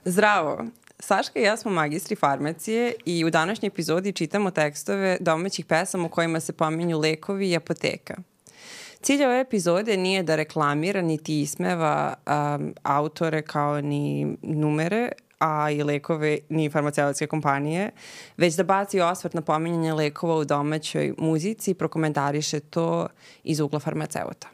Zdravo! Saška i ja smo magistri farmacije i u današnjoj epizodi čitamo tekstove domaćih pesama u kojima se pominju lekovi i apoteka. Cilj ove epizode nije da reklamira niti ismeva autore kao ni numere, a i lekove ni farmaceutske kompanije, već da baci osvrt na pominjanje lekova u domaćoj muzici i prokomentariše to iz ugla farmaceuta.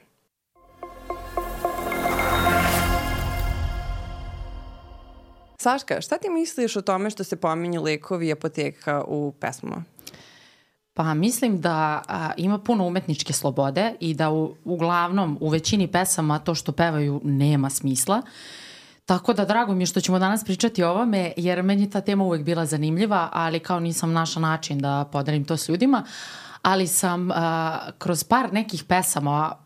Saška, šta ti misliš o tome što se pominju lekovi i apoteka u pesmama? Pa mislim da ima puno umetničke slobode i da uglavnom u većini pesama to što pevaju nema smisla. Tako da drago mi je što ćemo danas pričati o ovome, jer meni je ta tema uvek bila zanimljiva, ali kao nisam našla način da podelim to s ljudima. Ali sam kroz par nekih pesama,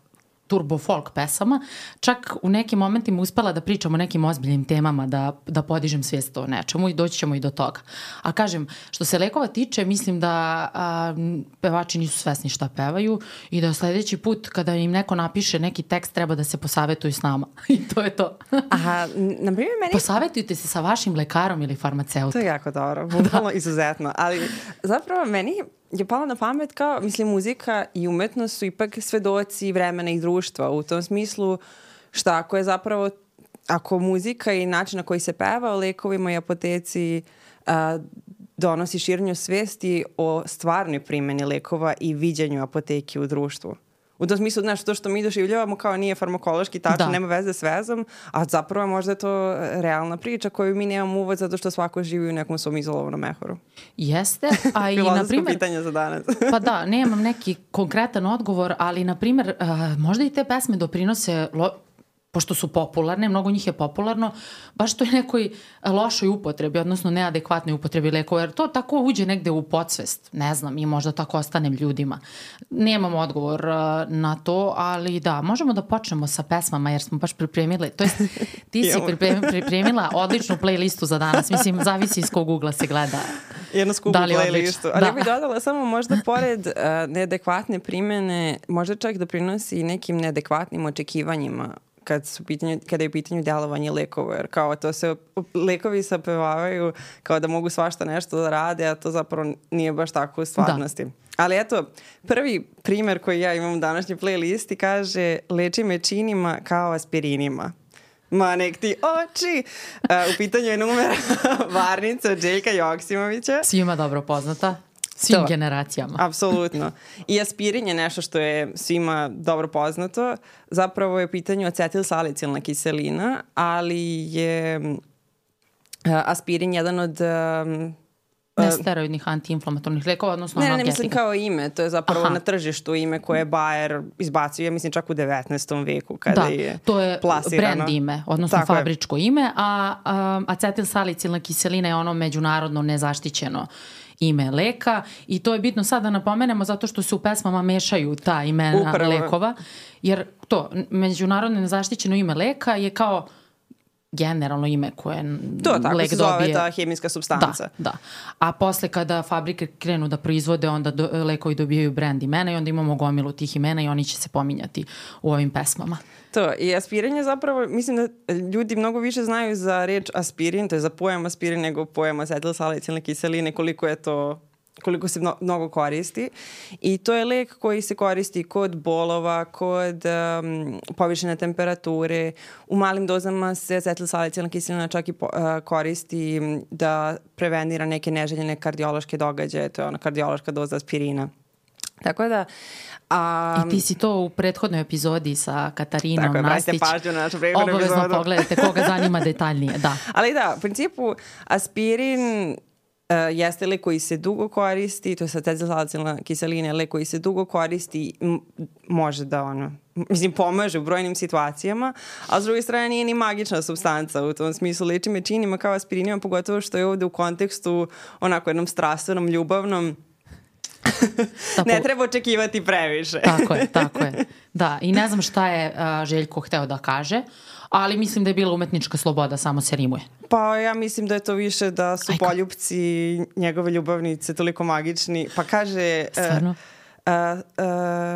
turbo folk pesama, čak u nekim momentima uspela da pričam o nekim ozbiljnim temama, da podižem svijest o nečemu i doći ćemo i do toga. A kažem, što se lekova tiče, mislim da pevači nisu svesni šta pevaju i da sledeći put kada im neko napiše neki tekst treba da se posavetuju s nama. I to je to. Aha, na primjer meni... Posavetujte se sa vašim lekarom ili farmaceutom. To je jako dobro, bukvalno izuzetno. Ali zapravo meni je palo na pamet kao, mislim, muzika i umetnost su ipak svedoci vremena i društva. U tom smislu, šta ako je zapravo, ako muzika i način na koji se peva o lekovima i apoteci donosi širenju svesti o stvarnoj primjeni lekova i viđanju apoteke u društvu. U tom smislu, znaš, to što mi doživljavamo kao nije farmakološki tačno, nema veze s vezom, a zapravo možda je to realna priča koju mi nemamo uvod zato što svako živi u nekom svom izolovanom mehoru. Jeste, a i na primjer... pitanje za danas. Pa da, nemam neki konkretan odgovor, ali na primjer, možda i te pesme doprinose... pošto su popularne, mnogo njih je popularno, baš to je nekoj lošoj upotrebi, odnosno neadekvatnoj upotrebi lekova, jer to tako uđe negde u podsvest, ne znam, i možda tako ostane ljudima. Nemam odgovor na to, ali da, možemo da počnemo sa pesmama, jer smo baš pripremili, to jest ti si pripremila odličnu playlistu za danas, mislim, zavisi iz kog ugla se gleda. Jednu skupu playlistu. Ali ja bih dodala samo možda pored neadekvatne primjene, možda čak doprinosi i nekim neadekvatnim očekivanjima kada je u pitanju delovanje lekova, jer kao to se lekovi se opevavaju kao da mogu svašta nešto da rade, a to zapravo nije baš tako u stvarnosti. Da. Ali eto, prvi primer koji ja imam u današnjoj playlisti kaže leči me činima kao aspirinima. Ma nek ti oči! U pitanju je numera Varnica od Željka Joksimovića. Svima dobro poznata. Svim generacijama. Apsolutno. I aspirin je nešto što je svima dobro poznato. Zapravo je u pitanju acetilsalicilna kiselina, ali je aspirin jedan od... nesteroidnih antiinflamatornih lekova, odnosno analgetika. Ne, mislim kao ime. To je zapravo na tržištu ime koje Bayer izbacio, ja mislim čak u 19. veku kada je plasirano. Da, to je brand ime, odnosno tako fabričko ime, a acetilsalicilna kiselina je ono međunarodno nezaštićeno ime leka i to je bitno sad da napomenemo zato što se u pesmama mešaju ta imena lekova, jer to međunarodno nezaštićeno ime leka je kao generalno ime koje lek dobije. To tako se zove ta hemijska supstanca. Da. A posle kada fabrike krenu da proizvode, onda lekovi dobijaju brand imena i onda imamo gomilu tih imena i oni će se pominjati u ovim pesmama. To, i aspirin je zapravo, mislim da ljudi mnogo više znaju za reč aspirin, to je za pojam aspirin nego pojam acetilsalicilne kiseline, koliko se mnogo koristi. I to je lek koji se koristi kod bolova, kod povišene temperature. U malim dozama se acetilsalicilna kiselina čak i koristi da prevenira neke neželjene kardiološke događaje. To je ona kardiološka doza aspirina. Tako da... I ti si to u prethodnoj epizodi sa Katarinom Nastić. Tako je, pažnju na našu prethodnu epizodu. Obavezno pogledajte koga zanima detaljnije. Da. Ali da, u principu aspirin jeste lek koji se dugo koristi, to je acetilsalicilna kiselina, lek koji se dugo koristi, može da pomaže u brojnim situacijama, a s druge strane nije ni magična supstanca u tom smislu. Leči me činima kao aspirinima, pogotovo što je ovde u kontekstu onako jednom strastvenom, ljubavnom. Ne treba očekivati previše. Tako je. Da, i ne znam šta je Željko hteo da kaže, ali mislim da je bila umetnička sloboda, samo se rimuje. Pa ja mislim da je to više da su poljupci njegove ljubavnice toliko magični. Pa kaže... Stvarno?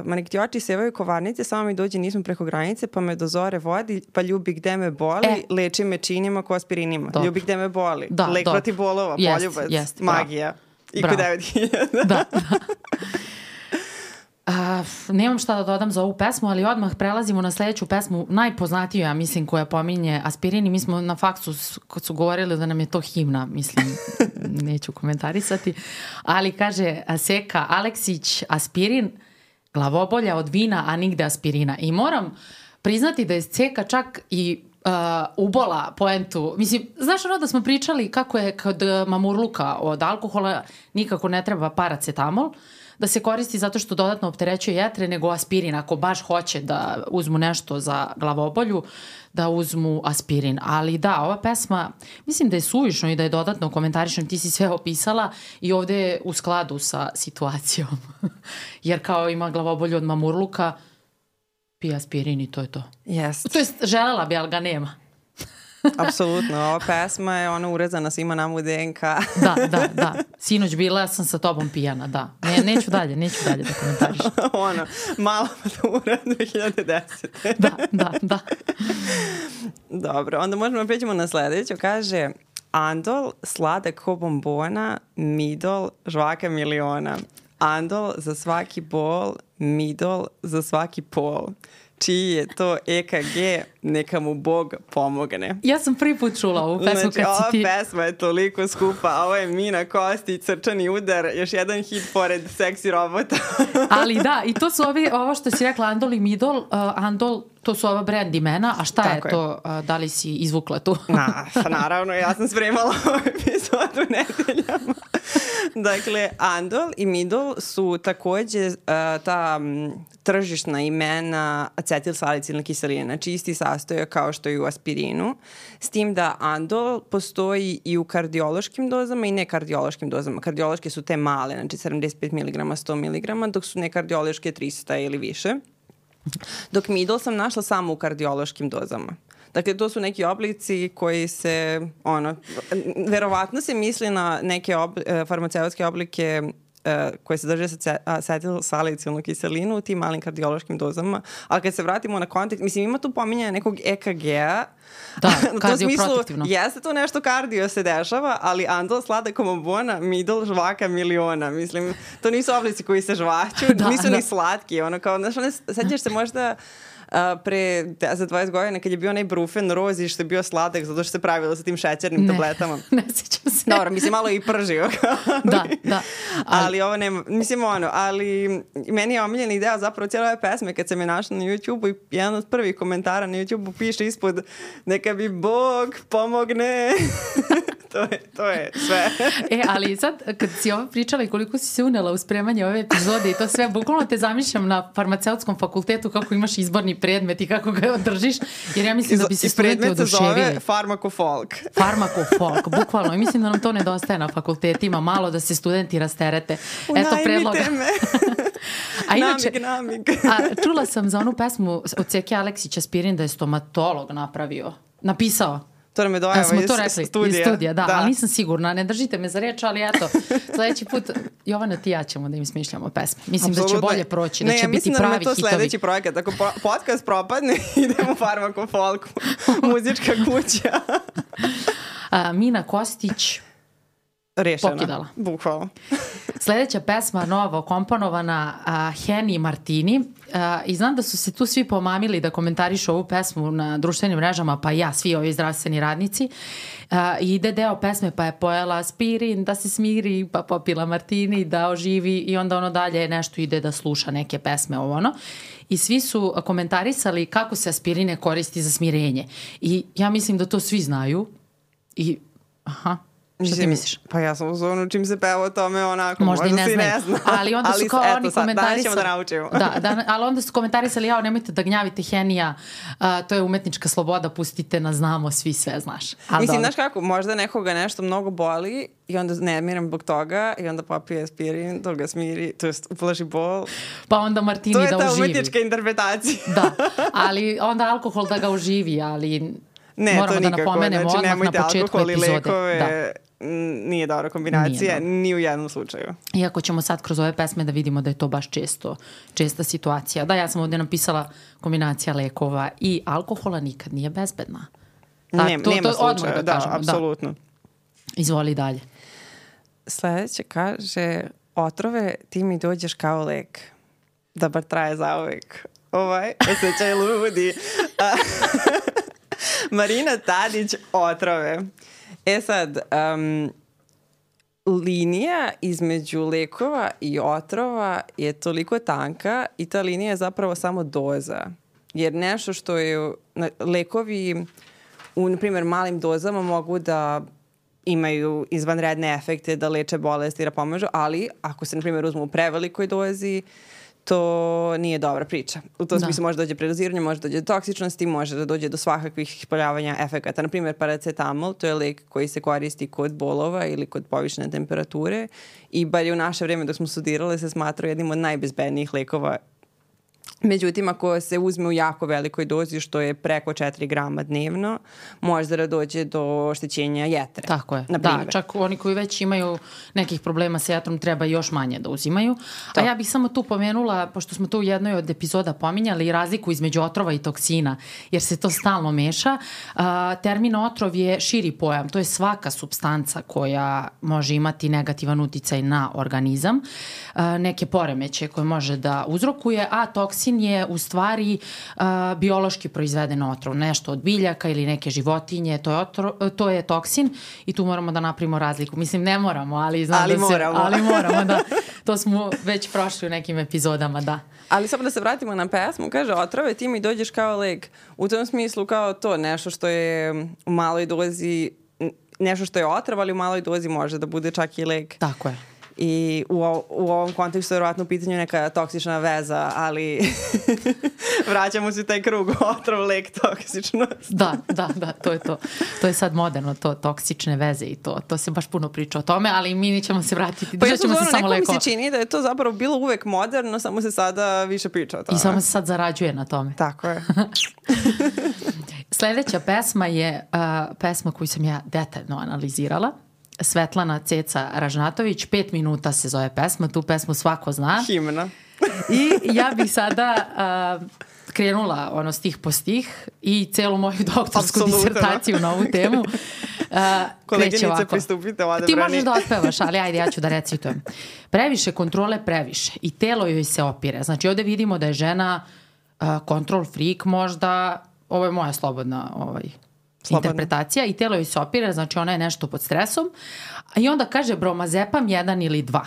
Ma nek ti oči sevaju kovarnice, samo mi dođe, nismo preko granice, pa me do zore vodi, pa ljubi gde me boli, leči me činima ko aspirinima. Dobro. Ljubi gde me boli. Da, lek protiv bolova, poljubac, magija. I ko 9000. Da. Nemam šta da dodam za ovu pesmu, ali odmah prelazimo na sledeću pesmu, najpoznatiju, ja mislim, koja pominje aspirin i mi smo na faksu, kad su govorili da nam je to himna, mislim, neću komentarisati, ali kaže Seka Aleksić, aspirin, glavobolja od vina, a nigde aspirina. I moram priznati da je Seka čak i ubola poentu. Mislim, znaš ono da smo pričali kako je kod mamurluka od alkohola nikako ne treba paracetamol, da se koristi zato što dodatno opterećuje jetre, nego aspirin. Ako baš hoće da uzmu nešto za glavobolju, da uzmu aspirin. Ali da, ova pesma, mislim da je suvišno i da je dodatno komentarišno. Ti si sve opisala i ovde je u skladu sa situacijom. Jer kao ima glavobolju od mamurluka, pije aspirin i to je to. Yes. To jest, želela bi, ali ga nema. Apsolutno, ova pesma je ona urezana svima nam u DNK. Da. Sinoć bila sam sa tobom pijana, da. Neću dalje da komentarišem. Ono, mala matura 2010. Da. Dobro, onda možemo pređemo na sledeću. Kaže, Andol, sladak ko bombona, midol, žvaka miliona. Andol za svaki bol, midol za svaki pol. Čiji je to EKG, neka mu Bog pomogne. Ja sam prvi put čula ovu pesmu kad si ti... Ova pesma je toliko skupa, ovo je Mina Kostić, Crčani udar, još jedan hit pored seksi robota. Ali da, i to su ovo što si rekla, Andol i Midol. Andol, to su ova brand imena, a šta je to? Da li si izvukla tu? Naravno, ja sam spremala ovu epizodu nedeljama. Dakle, Andol i Midol su takođe ta tržišna imena acetilsalicilne kiseline, znači isti sastojak kao što i u aspirinu, s tim da Andol postoji i u kardiološkim dozama i nekardiološkim dozama. Kardiološke su te male, znači 75 mg, 100 mg, dok su nekardiološke 300 ili više. Dok Midol sam našla samo u kardiološkim dozama. Dakle, to su neki oblici koji se, verovatno se misli na neke farmaceutske oblike koje se drže acetilsalicilnu kiselinu u tim malim kardiološkim dozama. Ali kad se vratimo na kontekst, mislim, ima tu pominjanja nekog EKG-a. Da, kardioprotektivno. Jeste tu nešto kardio se dešava, ali Andol, sladak bombona, midol, žvaka miliona. Mislim, to nisu oblici koji se žvaću, nisu ni slatki. Ono kao, znaš, sećaš se možda pre za 20 godina kad je bio onaj Brufen Rozi što je bio sladak zato što se pravilo sa tim šećernim tabletama. Ne sećam se. Dobro, mislim malo i pržio. Da. Ali ovo nema, mislim ali meni je omiljeni deo zapravo cijela ove pesme kad sam je našla na YouTube-u i jedan od prvih komentara na YouTube-u piše ispod neka bi Bog pomogne. To je sve. Ali sad kad si ovo pričala i koliko si se unela u spremanje ove epizode i to sve, bukvalno te zamišljam na farmaceutskom fakultetu kako imaš izborni predmet i kako ga održiš, jer ja mislim da bi se studenti oduševili. Predmet se zove farmakofolk. Farmakofolk, bukvalno. I mislim da nam to nedostaje na fakultetima, malo da se studenti rasterete. Eto predloga. Unajmite me. A inače, namig. Čula sam za onu pesmu od Seke Aleksića Aspirin da je stomatolog napisao. To nam je dojava iz studija. Da, ali nisam sigurna, ne držite me za reč, ali eto, sledeći put Jovana ti ja ćemo da im smišljamo pesme. Mislim da će bolje proći, da će biti pravi hitovi. Ne, ja mislim da nam je to sledeći projekat. Ako podcast propadne, idemo farmakofolku. Muzička kuća. Mina Kostić pokidala. Bukvalno. Sledeća pesma, novo komponovana, Henny i Martini. I znam da su se tu svi pomamili da komentarišu ovu pesmu na društvenim mrežama, pa ja, svi ovi zdravstveni radnici. I ide deo pesme, pa je pojela aspirin, da se smiri, pa popila Martini, da oživi i onda ono dalje nešto ide da sluša neke pesme I svi su komentarisali kako se aspirine koristi za smirenje. I ja mislim da to svi znaju. I, šta ti misliš? Pa ja sam u zonu čim se peva o tome onako, možda i ne zna. Ali onda su kao oni komentarisali. Danas ćemo da naučimo. Ali onda su komentarisali, nemojte da gnjavite Henija, to je umetnička sloboda, pustite nas, znamo, svi sve, znaš. Mislim, znaš kako, možda nekoga nešto mnogo boli i onda ne miram zbog toga i onda popije aspirin, to ga smiri, to jest uplaši bol. Pa onda Martini da oživi. To je ta umetnička interpretacija. Da, ali onda alkohol da ga oživi, ali... Ne, moramo to da nikako. Napomenemo znači, odmah na početku epizode. Lekove, nije dobra kombinacija, ni u jednom slučaju. Iako ćemo sad kroz ove pesme da vidimo da je to baš česta situacija. Da, ja sam ovdje napisala kombinacija lekova i alkohola nikad nije bezbedna. Nema slučaja, da, apsolutno. Izvoli dalje. Sljedeće kaže, otrove, ti mi dođeš kao lek. Da bar traje zauvek. Osjećaj ludi. Marina Tadić, otrove. Sad, linija između lekova i otrova je toliko tanka i ta linija je zapravo samo doza. Jer nešto što je, lekovi u, na primjer, malim dozama mogu da imaju izvanredne efekte, da leče bolesti, da pomažu, ali ako se, na primjer, uzmu u prevelikoj dozi, to nije dobra priča. U tom smislu može dođe predoziranje, može dođe do toksičnosti, može da dođe do svakakvih ispoljavanja efekata. Na primjer, paracetamol, to je lek koji se koristi kod bolova ili kod povišene temperature i bar je u naše vrijeme dok smo studirali se smatrao jednim od najbezbednijih lekova. Međutim, ako se uzme u jako velikoj dozi, što je preko 4 grama dnevno, može da dođe do oštećenja jetre. Tako je. Da, čak oni koji već imaju nekih problema sa jetrom treba još manje da uzimaju. A ja bih samo tu pomenula, pošto smo tu u jednoj od epizoda pominjali, razliku između otrova i toksina, jer se to stalno meša. Termin otrov je širi pojam. To je svaka supstanca koja može imati negativan uticaj na organizam, neke poremeće koje može da uzrokuje, a toksin je u stvari biološki proizveden otrov, nešto od biljaka ili neke životinje, to je toksin i tu moramo da napravimo razliku. Mislim, ne moramo, ali moramo, da. To smo već prošli u nekim epizodama, da. Ali samo da se vratimo na pesmu, kaže, otrove, ti mi dođeš kao lek. U tom smislu kao to, nešto što je u maloj dozi, nešto što je otrov, ali u maloj dozi može da bude čak i lek. Tako je. I u ovom kontekstu je vjerojatno u pitanju neka toksična veza, ali vraćamo se u taj krug otrov, lek, toksičnost. Da, to je to. To je sad moderno, to toksične veze i to se baš puno priča o tome, ali mi ćemo se vratiti. Pa neko mi se čini da je to zapravo bilo uvek moderno, samo se sada više priča o tome. I samo se sad zarađuje na tome. Tako je. Sljedeća pesma je pesma koju sam ja detaljno analizirala. Svetlana Ceca Ražnatović, 5 minuta se zove pesma, tu pesmu svako zna. Himna. I ja bih sada krenula stih po stih i celu moju doktorsku disertaciju na ovu temu. Koleginice, pristupite odabrani. Ti možeš da otpevaš, ali ajde, ja ću da recitujem. Previše kontrole, previše. I telo joj se opire. Znači, ovdje vidimo da je žena control freak možda, ovo je moja slobodna interpretacija, i telo joj se opire, znači ona je nešto pod stresom, i onda kaže bromazepam 1 ili 2.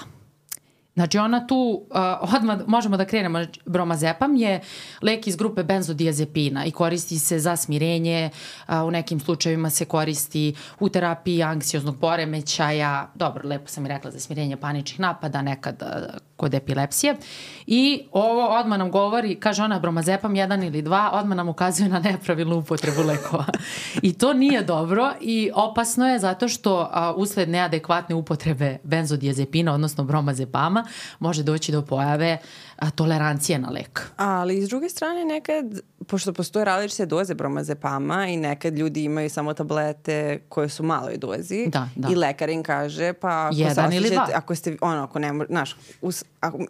Znači ona tu, odmah možemo da krenemo, bromazepam je lek iz grupe benzodiazepina i koristi se za smirenje, u nekim slučajevima se koristi u terapiji anksioznog poremećaja, dobro, lepo sam i rekla, za smirenje paničnih napada, nekad kod epilepsije. I ovo odmah nam govori, kaže ona bromazepam 1 ili 2, odmah nam ukazuje na nepravilnu upotrebu lekova. I to nije dobro i opasno je zato što usled neadekvatne upotrebe benzodiazepina, odnosno bromazepama, može doći do pojave tolerancije na lek. Ali s druge strane nekad, pošto postoje različite doze bromazepama i nekad ljudi imaju samo tablete koje su u maloj dozi, i lekar im kaže pa ako 1 ili 2. Ako ste, ako ne može,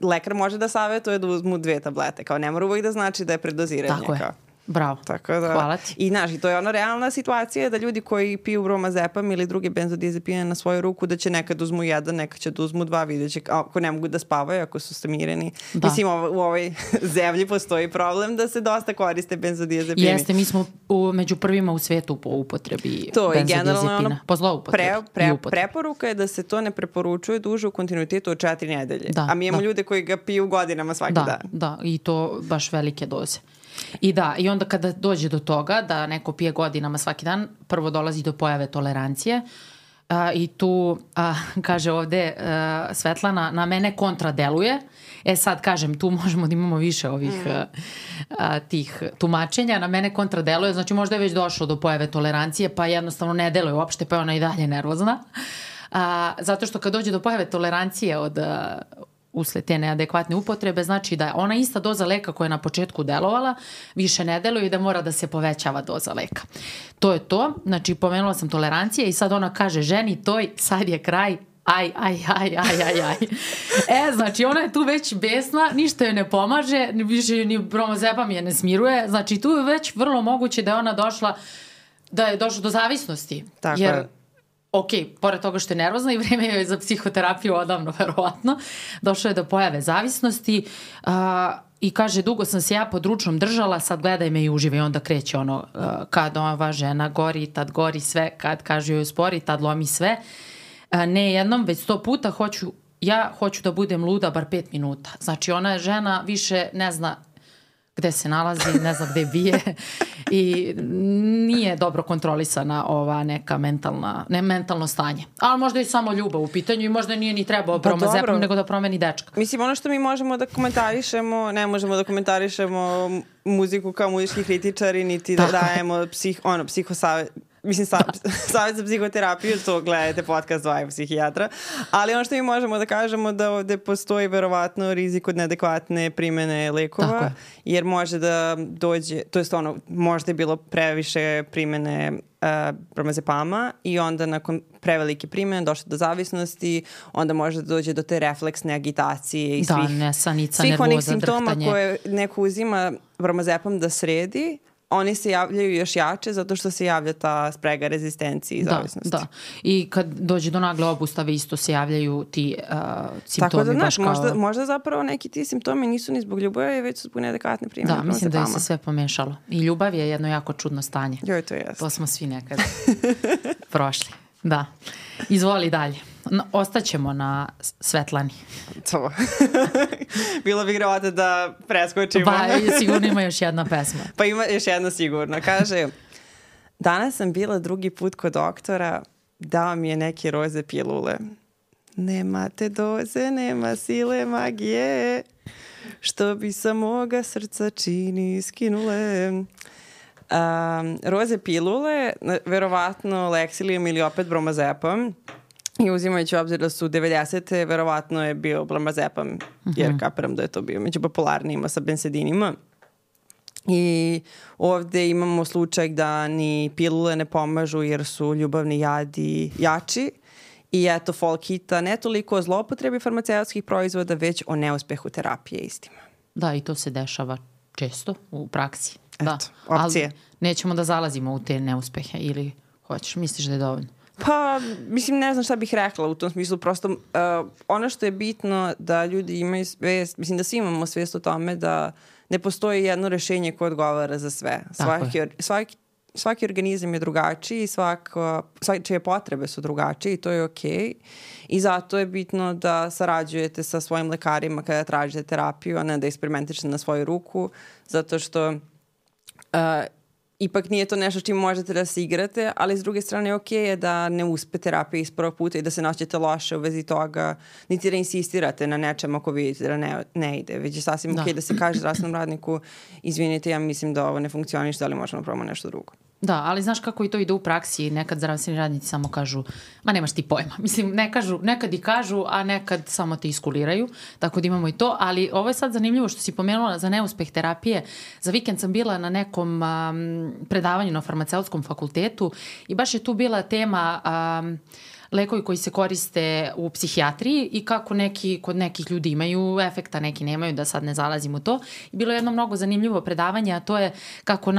lekar može da savjetuje da uzmu 2 tablete, kao ne mora uvijek da znači da je predoziranje. Tako je. Bravo, hvala ti. I to je realna situacija da ljudi koji piju bromazepam ili druge benzodiazepine na svoju ruku, da će nekad uzmu 1, nekad će da uzmu 2, vidjet će ako ne mogu da spavaju, ako su stamireni. Mislim, u ovoj zemlji postoji problem da se dosta koriste benzodiazepini. Jeste, mi smo među prvima u svijetu po upotrebi benzodiazepina. Po zloupotrebi. Preporuka je da se to ne preporučuje duže u kontinuitetu od 4 nedelje. A mi imamo ljude koji ga piju godinama svaki dan. Da, i to baš velike doze. I onda kada dođe do toga da neko pije godinama svaki dan, prvo dolazi do pojave tolerancije i tu kaže ovdje Svetlana, na mene kontradeluje. Sad kažem, tu možemo da imamo više ovih tih tumačenja. Na mene kontradeluje, znači možda je već došlo do pojave tolerancije, pa jednostavno ne deluje uopšte, pa je ona i dalje nervozna. Zato što kad dođe do pojave tolerancije usled te neadekvatne upotrebe, znači da ona ista doza leka koja je na početku delovala, više ne deluje i da mora da se povećava doza leka. To je to. Znači, pomenula sam tolerancije i sad ona kaže ženi toj, sad je kraj, aj. Znači ona je tu već besna, ništa joj ne pomaže, više ni bromazepam je ne smiruje, znači tu je već vrlo moguće da je ona da je došlo do zavisnosti. Tako jer, je. ok, pored toga što je nervozna i vreme joj je za psihoterapiju odavno, verovatno, došlo je do pojave zavisnosti i kaže, dugo sam se ja pod ručnom držala, sad gledaj me i uživaj. I onda kreće ono, kad ova žena gori, tad gori sve, kad kaže joj spori, tad lomi sve. Ne jednom, već 100 puta hoću da budem luda bar 5 minuta. Znači ona je žena, više ne zna gde se nalazi, ne zna gde bije i nije dobro kontrolisana ova neka mentalno stanje. Ali možda je samo ljubav u pitanju i možda nije ni trebao bromazepam nego da promeni dečka. Mislim, ono što mi možemo da komentarišemo, ne možemo da komentarišemo muziku kao muzički kritičari, niti da dajemo psihosavjet. Mislim, savjet za psihoterapiju, to gledajte podcast dvaju psihijatra, ali ono što mi možemo da kažemo da ovde postoji verovatno rizik od neadekvatne primene lekova, jer može da dođe, to jest ono, možda je bilo previše primene bromazepama i onda nakon prevelike primene došlo do zavisnosti, onda može da dođe do te refleksne agitacije i svih onih simptoma koje neko uzima bromazepam da sredi. Oni se javljaju još jače zato što se javlja ta sprega rezistencije i zavisnosti. Da. I kad dođe do nagle obustave isto se javljaju ti simptomi. Tako da, znaš, možda zapravo neki ti simptomi nisu ni zbog ljubavi, već su zbog neadekvatne primjene. Da, mislim da je se sve pomešalo. I ljubav je jedno jako čudno stanje. Joj, to jest. To smo svi nekad prošli. Da. Izvoli dalje. Ostaćemo na Svetlani. To. Bilo bi vjerovatno da preskočimo. Pa sigurno ima još jedna pesma. Pa ima još jedna sigurno. Kaže, danas sam bila drugi put kod doktora, dao mi je neke roze pilule. Nema te doze, nema sile magije, što bi sa moga srca čini skinule. Roze pilule, verovatno Lexilijum ili opet bromazepam. I uzimajući obzir da su 90. verovatno je bio bromazepam, jer kapiram da je to bio među popularnijima sa bensedinima. I ovde imamo slučaj da ni pilule ne pomažu jer su ljubavni jadi jači. I eto, folk hita ne toliko o zloupotrebi farmaceutskih proizvoda, već o neuspehu terapije istima. Da, i to se dešava često u praksi. Eto, da. opcije. Ali nećemo da zalazimo u te neuspehe ili hoćeš, misliš da je dovoljno? Pa, mislim, ne znam šta bih rekla u tom smislu. Prosto, ono što je bitno da ljudi imaju svest, mislim da svi imamo svest o tome da ne postoji jedno rešenje koje odgovara za sve. Svaki organizam je drugačiji, čije potrebe su drugačije i to je okej. I zato je bitno da sarađujete sa svojim lekarima kada tražite terapiju, a ne da eksperimentišete na svoju ruku, zato što ipak nije to nešto čim možete da se igrate, ali s druge strane okej je da ne uspe terapija iz prvog puta i da se naćete loše u vezi toga, niti da insistirate na nečem ako vidite da ne ide. Već je sasvim okej da se kaže zdravstvenom radniku, izvinite, ja mislim da ovo ne funkcioniše, ali možemo probamo nešto drugo. Da, ali znaš kako i to ide u praksi, nekad zdravstveni radnici samo kažu, ma nemaš ti pojma. Mislim, nekad i kažu, a nekad samo te iskuliraju, tako da imamo i to, ali ovo je sad zanimljivo što si pomenula za neuspeh terapije. Za vikend sam bila na nekom predavanju na farmaceutskom fakultetu i baš je tu bila tema lekovi koji se koriste u psihijatriji i kako neki kod nekih ljudi imaju efekta, neki nemaju, da sad ne zalazim u to. I bilo je jedno mnogo zanimljivo predavanje, a to je kako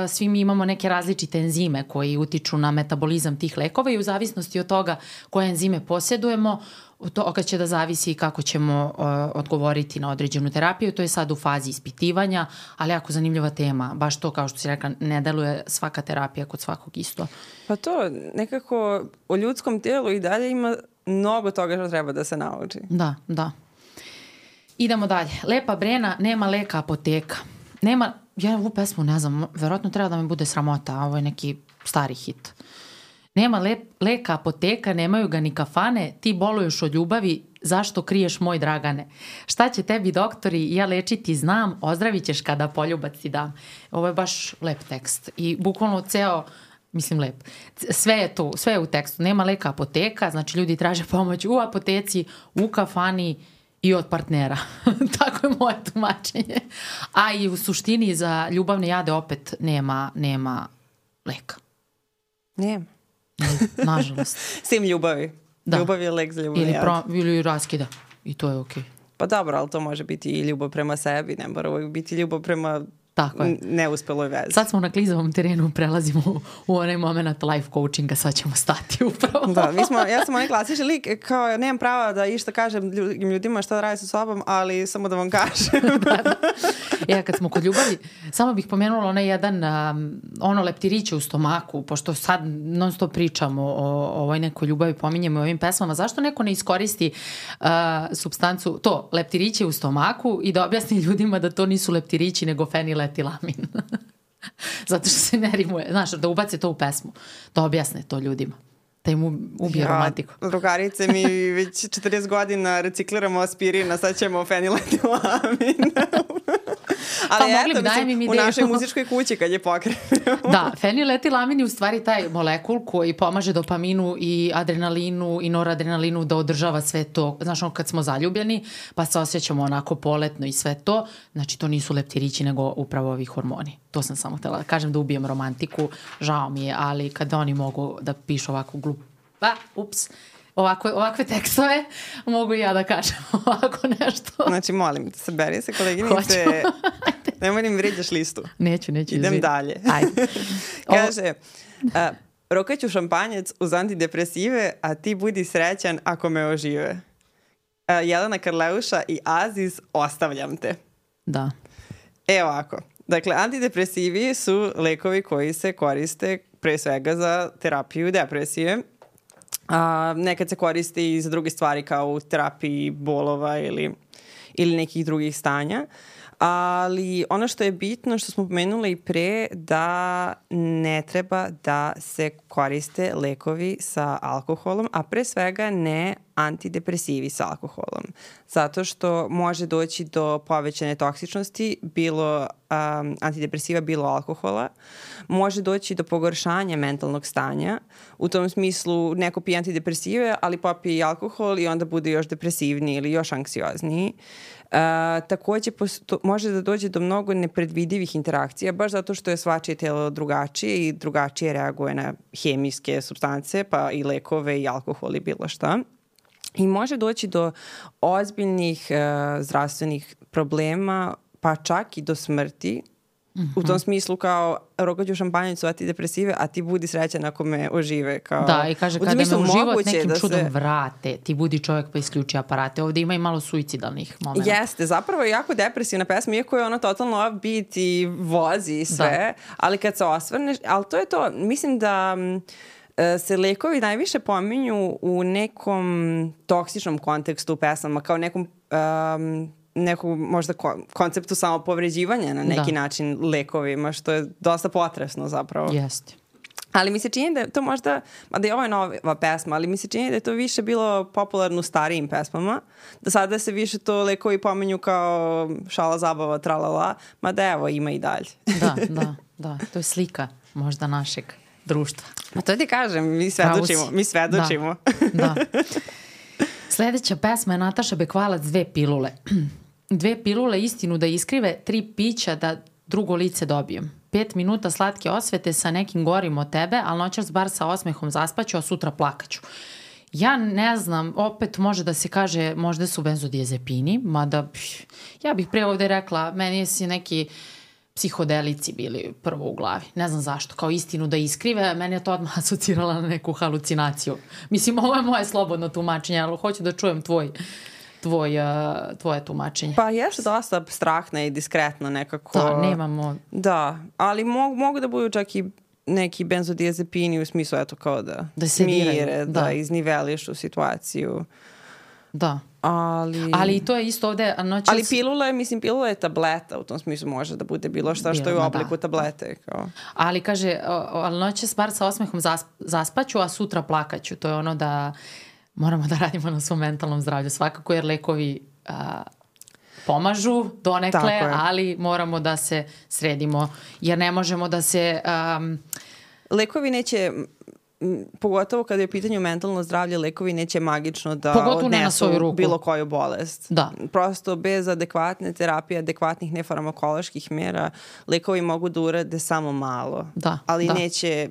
svi mi imamo neke različite enzime koji utiču na metabolizam tih lekova i u zavisnosti od toga koje enzime posjedujemo, od toga će da zavisi i kako ćemo odgovoriti na određenu terapiju. To je sad u fazi ispitivanja, ali jako zanimljiva tema. Baš to, kao što si rekla, ne deluje svaka terapija kod svakog isto. Pa to, nekako o ljudskom tijelu i dalje ima mnogo toga što treba da se nauči. Da, da. Idemo dalje. Lepa Brena, nema leka apoteka. Ja ovu pesmu ne znam, verovatno treba da mi bude sramota, a ovo je neki stari hit. Nema leka apoteka, nemaju ga ni kafane, ti boluješ od ljubavi, zašto kriješ moj Dragane? Šta će tebi doktori, ja lečiti znam, ozdravit ćeš kada poljubac ti dam. Ovo je baš lep tekst i bukvalno lep. Sve je tu, sve je u tekstu. Nema leka apoteka, znači ljudi traže pomoć u apoteci, u kafani I od partnera. Tako je moje tumačenje. A i u suštini za ljubavne jade opet nema leka. Nema. Nažalost. Sim ljubavi. Da. Ljubav je lek za ljubavne jade. Ili raskida. I to je okej. Pa dobro, ali to može biti i ljubav prema sebi, ne mora uvijek biti ljubav prema neuspeloj vezi. Sad smo na klizavom terenu, prelazimo u onaj moment life coachinga, sad ćemo stati upravo. Da, ja sam onaj klasični lik, kao nemam prava da išta kažem ljudima šta da radi sa sobom, ali samo da vam kažem. Da. Kad smo kod ljubavi, samo bih pomenula onaj jedan leptiriće u stomaku, pošto sad non stop pričamo o ovoj nekoj ljubavi, pominjemo ovim pesmama, zašto neko ne iskoristi supstancu, to, leptiriće u stomaku i da objasni ljudima da to nisu leptirići, nego feniletilamin. Zato što se ne rimuje. Znaš, da ubace to u pesmu. Da objasne to ljudima. Da im ubije romantiku. Drugarice, mi već 40 godina recikliramo aspirin, a sad ćemo feniletilamin. Ali u našoj muzičkoj kući kad je pokrenemo. Da, feniletilamin je u stvari taj molekul koji pomaže dopaminu i adrenalinu i noradrenalinu da održava sve to. Znaš, kad smo zaljubljeni pa se osjećamo onako poletno i sve to, znači to nisu leptirići nego upravo ovi hormoni. To sam samo htjela da kažem, da ubijem romantiku, žao mi je, ali kad oni mogu da pišu ovako ovakve tekstove, mogu i ja da kažem ovako nešto. Znači, molim te, saberi se, koleginice, nemoj da mi vriđaš listu. Neću. Idem dalje. Ajde. Kaže, rokaću šampanjac uz antidepresive, a ti budi srećan ako me ožive. Jelena Karleuša i Aziz, ostavljam te. Da. Ovako. Dakle, antidepresivi su lekovi koji se koriste pre svega za terapiju depresije. Nekad se koristi i za druge stvari kao u terapiji bolova ili nekih drugih stanja. Ali ono što je bitno, što smo pomenuli i pre, da ne treba da se koriste lekovi sa alkoholom, a pre svega ne antidepresivi sa alkoholom. Zato što može doći do povećane toksičnosti, bilo antidepresiva, bilo alkohola. Može doći do pogoršanja mentalnog stanja. U tom smislu neko pije antidepresive, ali popije i alkohol i onda bude još depresivniji ili još anksiozniji. Također može da dođe do mnogo nepredvidivih interakcija, baš zato što je svačije telo drugačije i drugačije reaguje na hemijske supstance, pa i lekove i alkohol i bilo šta. I može doći do ozbiljnih zdravstvenih problema, pa čak i do smrti. U tom smislu kao rokaću šampanjac, antidepresive, a ti budi srećan ako me ožive. Kao, da, i kaže kada me u život nekim čudom vrate, ti budi čovjek pa isključi aparate. Ovdje ima i malo suicidalnih momenta. Jeste, zapravo je jako depresivna pesma, iako je ona totalno upbeat i vozi i sve, ali kad se osvrneš, ali to je to, mislim da se lekovi najviše pominju u nekom toksičnom kontekstu pesama, kao nekom možda konceptu samopovređivanja na neki način lekovima, što je dosta potresno zapravo. Jeste. Ali mi se čini da je to možda, mada je ovo nova pesma, ali mi se čini da je to više bilo popularno u starijim pesmama, da sada se više to lekovi pominju kao šala, zabava, tralala, mada evo ima i dalje. Da, to je slika možda našeg društva. A to ti kažem, mi svedočimo. Da. Sljedeća pesma je Nataša Bekvalac, 2 pilule. 2 pilule istinu da iskrive, 3 pića da drugo lice dobijem. 5 minuta slatke osvete sa nekim gorim od tebe, ali noćas bar sa osmehom zaspaću, a sutra plakaću. Ja ne znam, opet može da se kaže, možda su benzodiazepini, mada ja bih pre ovdje rekla, meni si neki psihodelici bili prvo u glavi. Ne znam zašto, kao istinu da iskrive, meni je to odmah asocirala na neku halucinaciju. Mislim, ovo je moje slobodno tumačenje, ali hoću da čujem tvoje tumačenje. Pa jeste dosta abstraktna i diskretna nekako. Da, nemamo. Da, ali mogu da budu čak i neki benzodiazepini u smislu eto kao da smire, da iznivelišu situaciju. Da. Ali to je isto ovdje noćas... Ali pilula je tableta, u tom smislu može da bude bilo šta što je u obliku tablete. Kao. Ali kaže, ali noćas bar sa osmehom zaspaću, a sutra plakaću. To je ono da moramo da radimo na svom mentalnom zdravlju. Svakako jer lekovi pomažu donekle, ali moramo da se sredimo. Jer ne možemo da se... Lekovi neće pogotovo kada je u pitanju mentalno zdravlje, lekovi neće magično da pogotovo ne na svoju odnesu ruku. bilo koju bolest. Da. Prosto bez adekvatne terapije, adekvatnih nefarmakoloških mera, lekovi mogu da urade samo malo. Da, ali da. neće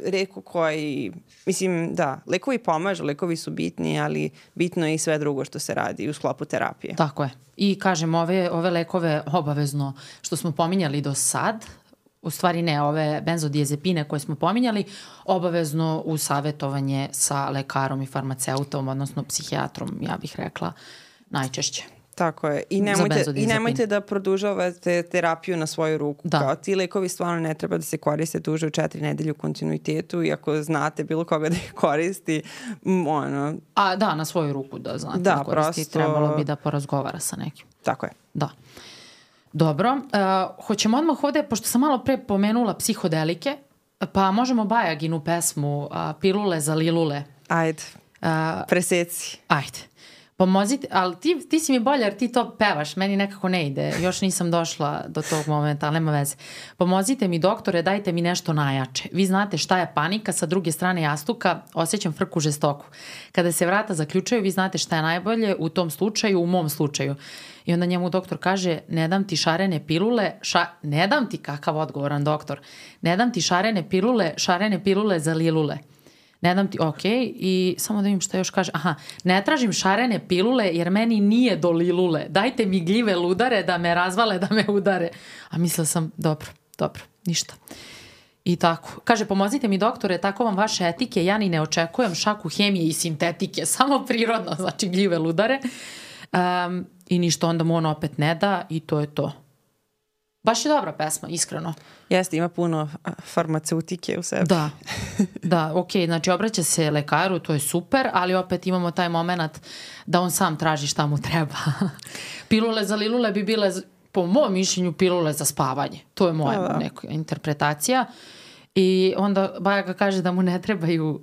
retko koji, mislim, da, lekovi pomažu, lekovi su bitni, ali bitno je i sve drugo što se radi u sklopu terapije. Tako je. I kažem, ove lekove obavezno što smo pominjali do sad, u stvari ne, ove benzodiazepine koje smo pominjali, obavezno u savjetovanje sa lekarom i farmaceutom, odnosno psihijatrom, ja bih rekla, najčešće. Tako je. I nemojte da produžavate terapiju na svoju ruku. Da. Kao ti lekovi stvarno ne treba da se koriste duže u 4 nedelje u kontinuitetu i ako znate bilo koga da ih koristi, A da, na svoju ruku da znate da da koristi, prosto trebalo bi da porazgovara sa nekim. Tako je. Da. Dobro, hoćemo odmah ovde, pošto sam malo pre pomenula psihodelike, pa možemo Bajaginu pesmu Pilule za Lilule. Ajde, preseci. Ajde. Pomozite, ali ti si mi bolja jer ti to pevaš, meni nekako ne ide, još nisam došla do tog momenta, ali nema veze. Pomozite mi doktore, dajte mi nešto najjače. Vi znate šta je panika, sa druge strane jastuka osjećam frku žestoku. Kada se vrata zaključaju, vi znate šta je najbolje u tom slučaju, u mom slučaju. I onda njemu doktor kaže, ne dam ti šarene pilule, ne dam ti, kakav odgovoran doktor, ne dam ti šarene pilule za Lilule. Ne dam ti, i samo da vidim šta još kaže. Ne tražim šarene pilule jer meni nije do Lilule. Dajte mi gljive ludare da me razvale, da me udare. A mislila sam, dobro, ništa. I tako. Kaže, pomozite mi doktore, tako vam vaše etike, ja ni ne očekujem šaku hemije i sintetike, samo prirodno, znači gljive ludare. I ništa, onda mu on opet ne da i to je to. Baš je dobra pesma, iskreno. Jeste, ima puno farmaceutike u sebi. Da, znači obraća se lekaru, to je super, ali opet imamo taj moment da on sam traži šta mu treba. Pilule za Lilule bi bile, po mom mišljenju, pilule za spavanje. To je moja neka interpretacija. I onda Bajaga kaže da mu ne trebaju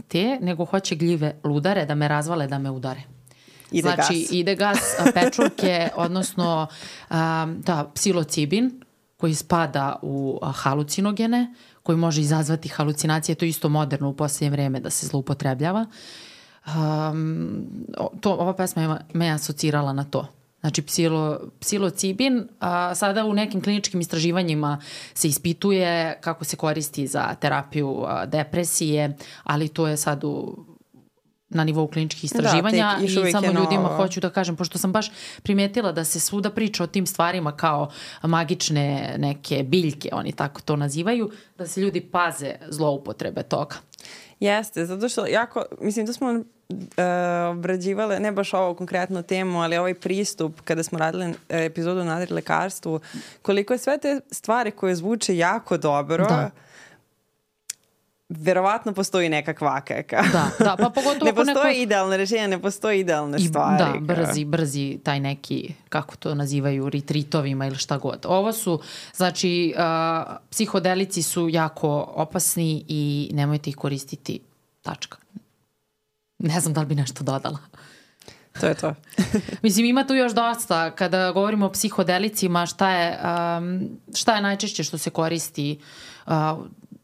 te, nego hoće gljive ludare, da me razvale, da me udare. Ide gas, pečurke, odnosno psilocibin koji spada u halucinogene, koji može izazvati halucinacije, to je isto moderno u posljednje vreme da se zloupotrebljava. Ova pesma me asocirala na to. Znači psilocibin sada u nekim kliničkim istraživanjima se ispituje kako se koristi za terapiju depresije, ali to je sad na nivou kliničkih istraživanja i samo ljudima hoću da kažem, pošto sam baš primetila da se svuda priča o tim stvarima kao magične neke biljke, oni tako to nazivaju, da se ljudi paze zloupotrebe toga. Jeste, zato što mislim da smo obrađivale, ne baš ovo konkretnu temu, ali ovaj pristup kada smo radili epizodu o nadrilekarstvu, koliko je sve te stvari koje zvuče jako dobro, verovatno postoji neka kvaka. Da, pa pogotovo ne postoji idealne rješenja, ne postoji idealne stvari. Da, brzi taj neki, kako to nazivaju, retritovima ili šta god. Ovo su, znači, psihodelici su jako opasni i nemojte ih koristiti, tačka. Ne znam da li bi nešto dodala. To je to. Mislim, ima tu još dosta. Kada govorimo o psihodelicima, šta je najčešće što se koristi,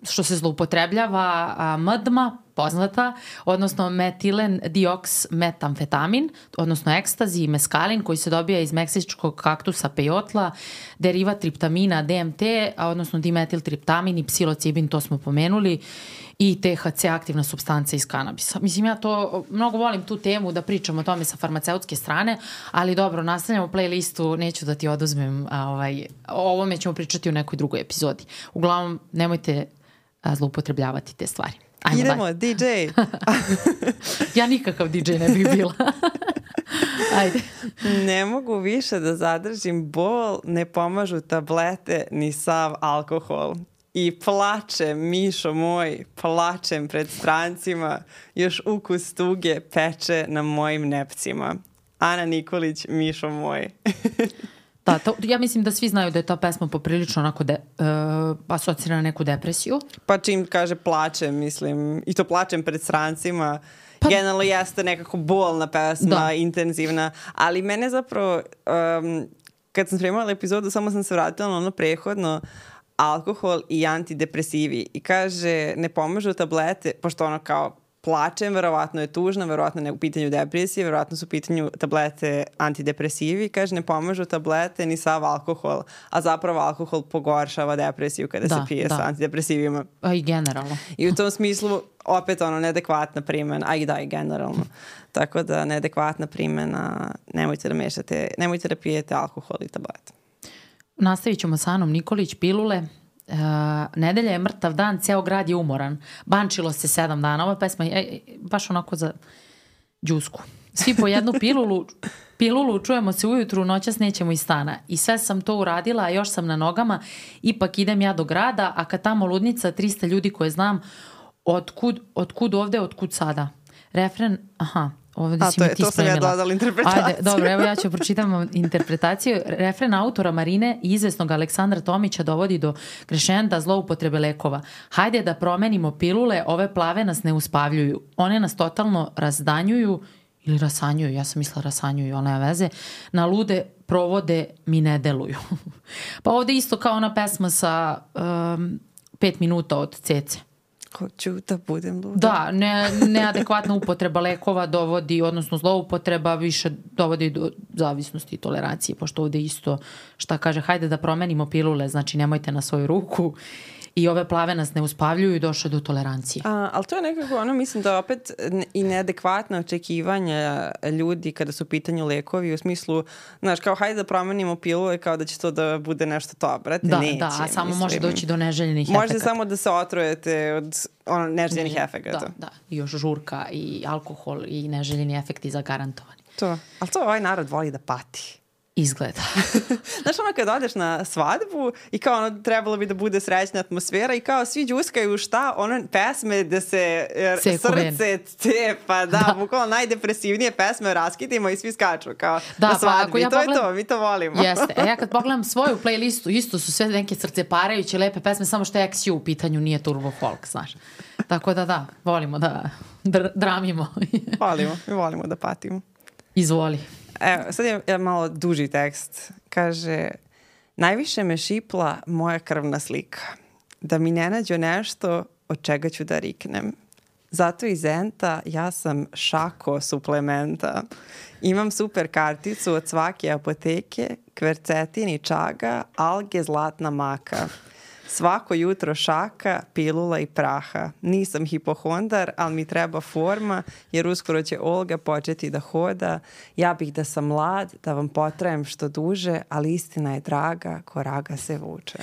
što se zloupotrebljava? MDMA, poznata, odnosno metilen dioks metamfetamin, odnosno ekstazi i meskalin koji se dobija iz meksičkog kaktusa pejotla, derivat triptamina DMT, odnosno dimetiltriptamin i psilocibin, to smo pomenuli, i THC, aktivna supstanca iz kanabisa. Mislim, ja to mnogo volim tu temu da pričam o tome sa farmaceutske strane, ali dobro, nastavljamo playlistu, neću da ti oduzmem, o ovome ćemo pričati u nekoj drugoj epizodi. Uglavnom, nemojte zloupotrebljavati te stvari. Ajmo idemo, dalje. DJ. Ja nikakav DJ ne bih bila. Ajde. Ne mogu više da zadržim bol, ne pomažu tablete ni sav alkohol. I plačem, Mišo moj, plačem pred strancima, još ukus tuge peče na mojim nepcima. Ana Nikolić, Mišo moj. Da, ja mislim da svi znaju da je ta pesma poprilično onako asocira na neku depresiju. Pa čim kaže plačem, mislim, i to plačem pred strancima, generalno jeste nekako bolna pesma, intenzivna, ali mene zapravo, kad sam spremala epizodu, samo sam se vratila na ono prethodno, alkohol i antidepresivi. I kaže, ne pomažu tablete, pošto ono kao plačem, verovatno je tužna, verovatno je u pitanju depresije, verovatno su u pitanju tablete antidepresivi. Kaže, ne pomažu tablete ni sav alkohol, a zapravo alkohol pogoršava depresiju kada se pije sa antidepresivima. A i generalno. I u tom smislu, opet ono, neadekvatna primjena, a i da, i generalno. Tako da, neadekvatna primjena, nemojte da mešate, nemojte da pijete alkohol i tablete. Nastavit ćemo sa Anom Nikolić, pilule. Nedelja je mrtav dan, ceo grad je umoran. Bančilo se 7 dana. Ova pesma je baš onako za džusku. Svi po jednu pilulu, čujemo se ujutru, noćas nećemo iz stana. I sve sam to uradila, a još sam na nogama. Ipak idem ja do grada, a kad tamo ludnica, 300 ljudi koje znam, otkud ovde, otkud sada? Refren, ovdje si mi ti spremila. To sam ja dodala interpretaciju. Ajde, dobro, evo ja ću pročitam interpretaciju. Refren autora Marine i izvesnog Aleksandra Tomića dovodi do krešenda zloupotrebe lekova. Hajde da promenimo pilule, ove plave nas ne uspavljuju. One nas totalno razdanjuju ili rasanjuju, ja sam mislila rasanjuju, ona je veze, na lude provode mi ne deluju. Pa ovdje isto kao ona pesma sa 5 minuta od Cece. Hoću da budem luda. Da, neadekvatna upotreba lekova dovodi, odnosno zloupotreba više dovodi do zavisnosti i tolerancije, pošto ovdje isto šta kaže, hajde da promenimo pilule, znači nemojte na svoju ruku i ove plave nas ne uspavljuju i došle do tolerancije. Ali to je nekako, mislim da opet i neadekvatna očekivanja ljudi kada su u pitanju lekovi, u smislu, znaš, kao hajde da promenimo pilule kao da će to da bude nešto to, brate, neće. Da, a samo može doći do neželjenih efekata. Može samo da se otrujete od neželjenih efekata. Da, i još žurka i alkohol i neželjeni efekti zagarantovani. To, ali to ovaj narod voli da pati. Izgleda. Znaš, ono kad odeš na svadbu i kao ono trebalo bi da bude srećna atmosfera i kao svi džuskaju šta, ono pesme da se srce cepa, da, bukvalno najdepresivnije pesme raskidimo i svi skaču kao na svadbi. Ja to je to, mi to volimo. Jeste, ja kad pogledam svoju playlistu, isto su sve neke srceparajuće, lepe pesme, samo što je XU u pitanju, nije turbo folk, znaš. Tako da, volimo da dramimo. Mi volimo da patimo. Izvoli. Evo, sad je malo duži tekst. Kaže, najviše me šipla moja krvna slika. Da mi ne nađe nešto od čega ću da riknem. Zato iz Enta ja sam šako suplementa. Imam super karticu od svake apoteke, kvercetin i čaga, alge, zlatna maka. Svako jutro šaka, pilula i praha. Nisam hipohondar, ali mi treba forma, jer uskoro će Olga početi da hoda. Ja bih da sam mlad, da vam potrajem što duže, ali istina je draga, ko raga se vučem.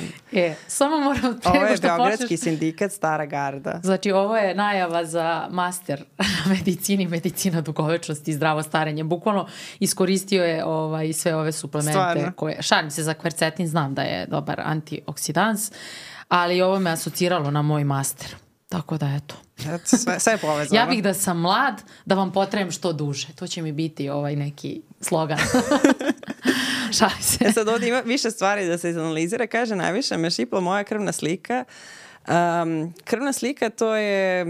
Samo moram... Ovo je Beogradski sindikat Stara garda. Znači, ovo je najava za master medicini, medicina dugovečnosti i zdravo starenje. Bukvalno iskoristio je sve ove suplemente koje... Šalim se za kvercetin, znam da je dobar antioksidans, ali ovo me asociralo na moj master. Tako da, eto. Sve je povezano. Ja bih da sam mlad, da vam potrajem što duže. To će mi biti neki slogan. Šalim se. Sad ovdje ima više stvari da se izanalizira. Kaže, najviše me šipla moja krvna slika. Krvna slika, to je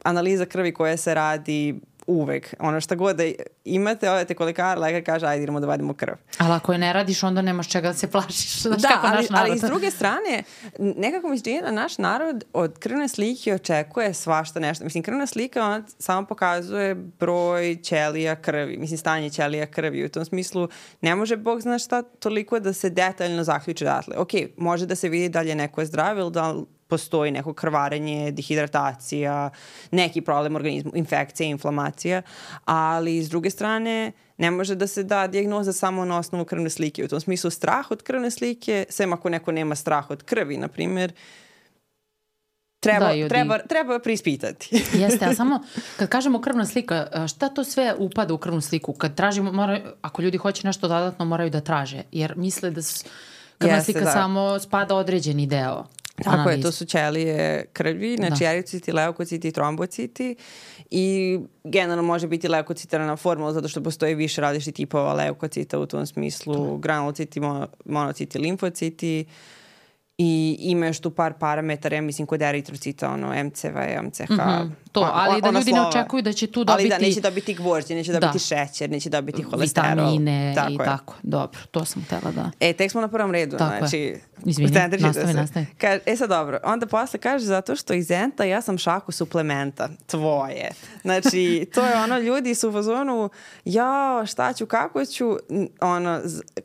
analiza krvi koja se radi uvek. Ono šta god da imate, odete kod lekara, lekar kaže, ajde idemo da vadimo krv. Ali ako je ne radiš, onda nemaš čega da se plašiš. Ali s druge strane, nekako mi se da naš narod od krvne slike očekuje svašta nešto. Mislim, krvna slika, ona samo pokazuje broj ćelija krvi. Mislim, stanje ćelija krvi. U tom smislu, ne može Bog zna šta toliko da se detaljno zaključi odatle. Ok, može da se vidi da li je neko zdrav ili da postoji neko krvarenje, dehidratacija, neki problem u organizmu, infekcija, inflamacija, ali s druge strane ne može da se da dijagnoza samo na osnovu krvne slike. U tom smislu strah od krvne slike, sem ako neko nema strah od krvi, na primjer, treba preispitati. Jeste, a samo kad kažemo krvna slika, šta to sve upada u krvnu sliku? Kad tražimo, ako ljudi hoće nešto dodatno, moraju da traže, jer misle da krvna slika samo spada određeni deo. Tako je, to su ćelije krvi, znači ericiti, leukociti i trombociti i generalno može biti leukocitarna formula zato što postoji više različitih tipova leukocita u tom smislu, granulociti, monociti, limfociti i ima još tu par parametara, ja mislim kod eritrocita, MCV, MCH, to, ali da ljudi ne očekuju da će tu dobiti... Ali da, neće dobiti gvožđe, neće dobiti šećer, neće dobiti holesterol. Vitamine i tako. Dobro, to sam htjela da... Tek smo na prvom redu, znači... Izvini, nastavi. Sad dobro, onda posle kaže zato što iz Zenta ja sam šaku suplementa, tvoje. Znači, to je ono, ljudi su u fazonu, šta ću, kako ću,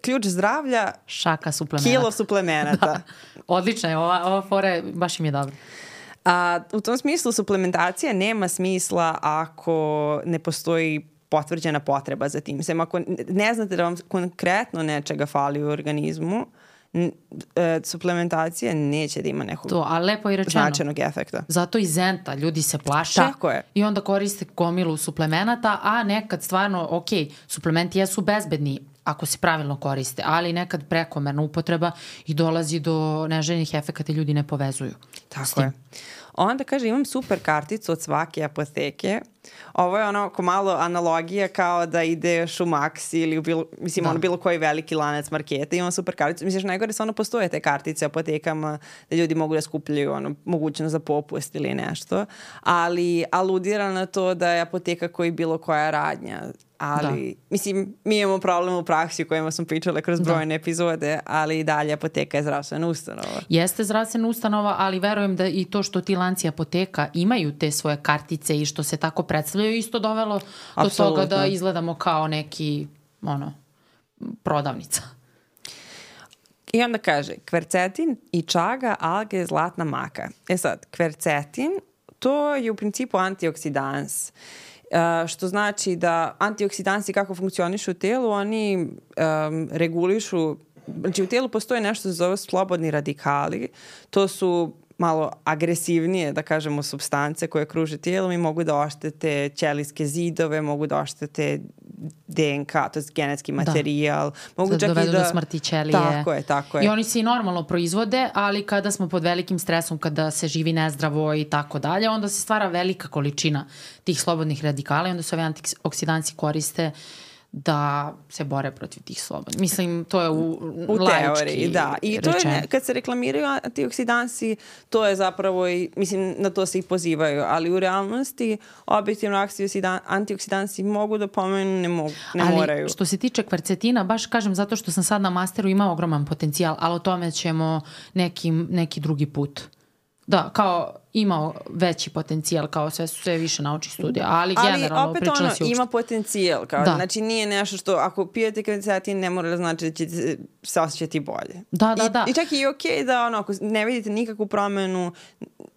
ključ zdravlja, šaka suplementa. Kilo suplemenata. Odlična je, ova fora baš im je dobro. U tom smislu suplementacija nema smisla ako ne postoji potvrđena potreba za tim. Sem ako ne znate da vam konkretno nečega fali u organizmu, suplementacija neće da ima nekog značajnog efekta. Zato i Zenta, ljudi se plaše i onda koriste gomilu suplemenata, a nekad stvarno, suplementi jesu bezbedni ako se pravilno koriste, ali nekad prekomerna upotreba i dolazi do neželjenih efekata i ljudi ne povezuju. Tako je. Onda kaže, imam super karticu od svake apoteke. Ovo je ono malo analogija kao da ideš u Maxi ili u bilo koji veliki lanac marketa. Imam super karticu. Misliš, najgore stvarno postoje te kartice apotekama da ljudi mogu da skupljaju mogućnost za popust ili nešto. Ali aludira na to da je apoteka koji bilo koja radnja. Ali, mi imamo problem u praksi o kojima smo pričali kroz brojne epizode, ali i dalje apoteka je zdravstvena ustanova. Jeste zdravstvena ustanova, ali verujem da i to što ti lanci apoteka imaju te svoje kartice i što se tako predstavljaju isto dovelo do toga da izgledamo kao neki, prodavnica. I onda kaže, kvercetin i čaga, alge, zlatna maka. Sad, kvercetin, to je u principu antioksidans. Što znači da antioksidansi kako funkcionišu u telu, oni regulišu, znači u telu postoje nešto što se zove slobodni radikali, to su malo agresivnije, da kažemo, supstance koje kruže tijelom i mogu da oštete ćelijske zidove, mogu da oštete DNK, to je genetski materijal. Mogu da dovedu do smrti ćelije. Tako je. I oni se i normalno proizvode, ali kada smo pod velikim stresom, kada se živi nezdravo i tako dalje, onda se stvara velika količina tih slobodnih radikala i onda se ovi antioksidansi koriste da se bore protiv tih slobodnih. Mislim, to je u teoriji, da. I to je, kad se reklamiraju antioksidansi, to je zapravo, mislim, na to se i pozivaju, ali u realnosti objektivno antioksidansi mogu da pomenu, ne moraju. Ali što se tiče kvercetina, baš kažem zato što sam sad na masteru, ima ogroman potencijal, ali o tome ćemo neki drugi put. Da, kao imao veći potencijal, kao sve više naučnih studija, ali generalno opet pričala si ima potencijal, znači nije nešto što ako pijete kvercetin ne mora da znači da ćete se osjećati bolje. Da. I čak i okej da ako ne vidite nikakvu promenu,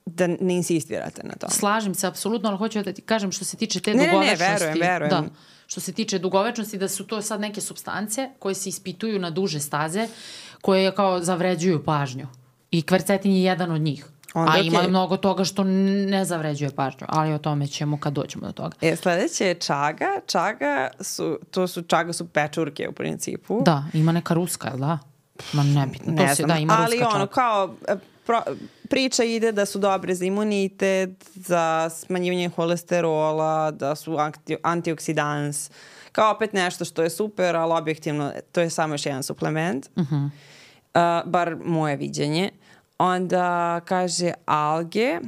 da ne insistirate na to. Slažem se, apsolutno, ali hoću da ti kažem što se tiče te dugovečnosti. Ne, verujem. Da, što se tiče dugovečnosti, da su to sad neke supstance koje se ispituju na duže staze, koje kao zavređuju pažnju. I kvercetin je jedan od njih. A ima mnogo toga što ne zavređuje pažnju, ali o tome ćemo kad dođemo do toga. Sledeće je čaga. Čaga su pečurke u principu. Da, ima neka ruska, jel da? Ma nebitno, to se da, ima ruska čaga. Ali kao priča ide da su dobre za imunitet, za smanjivanje holesterola, da su antioksidans. Kao opet nešto što je super, ali objektivno to je samo još jedan suplement. Bar moje viđenje. Onda kaže alge.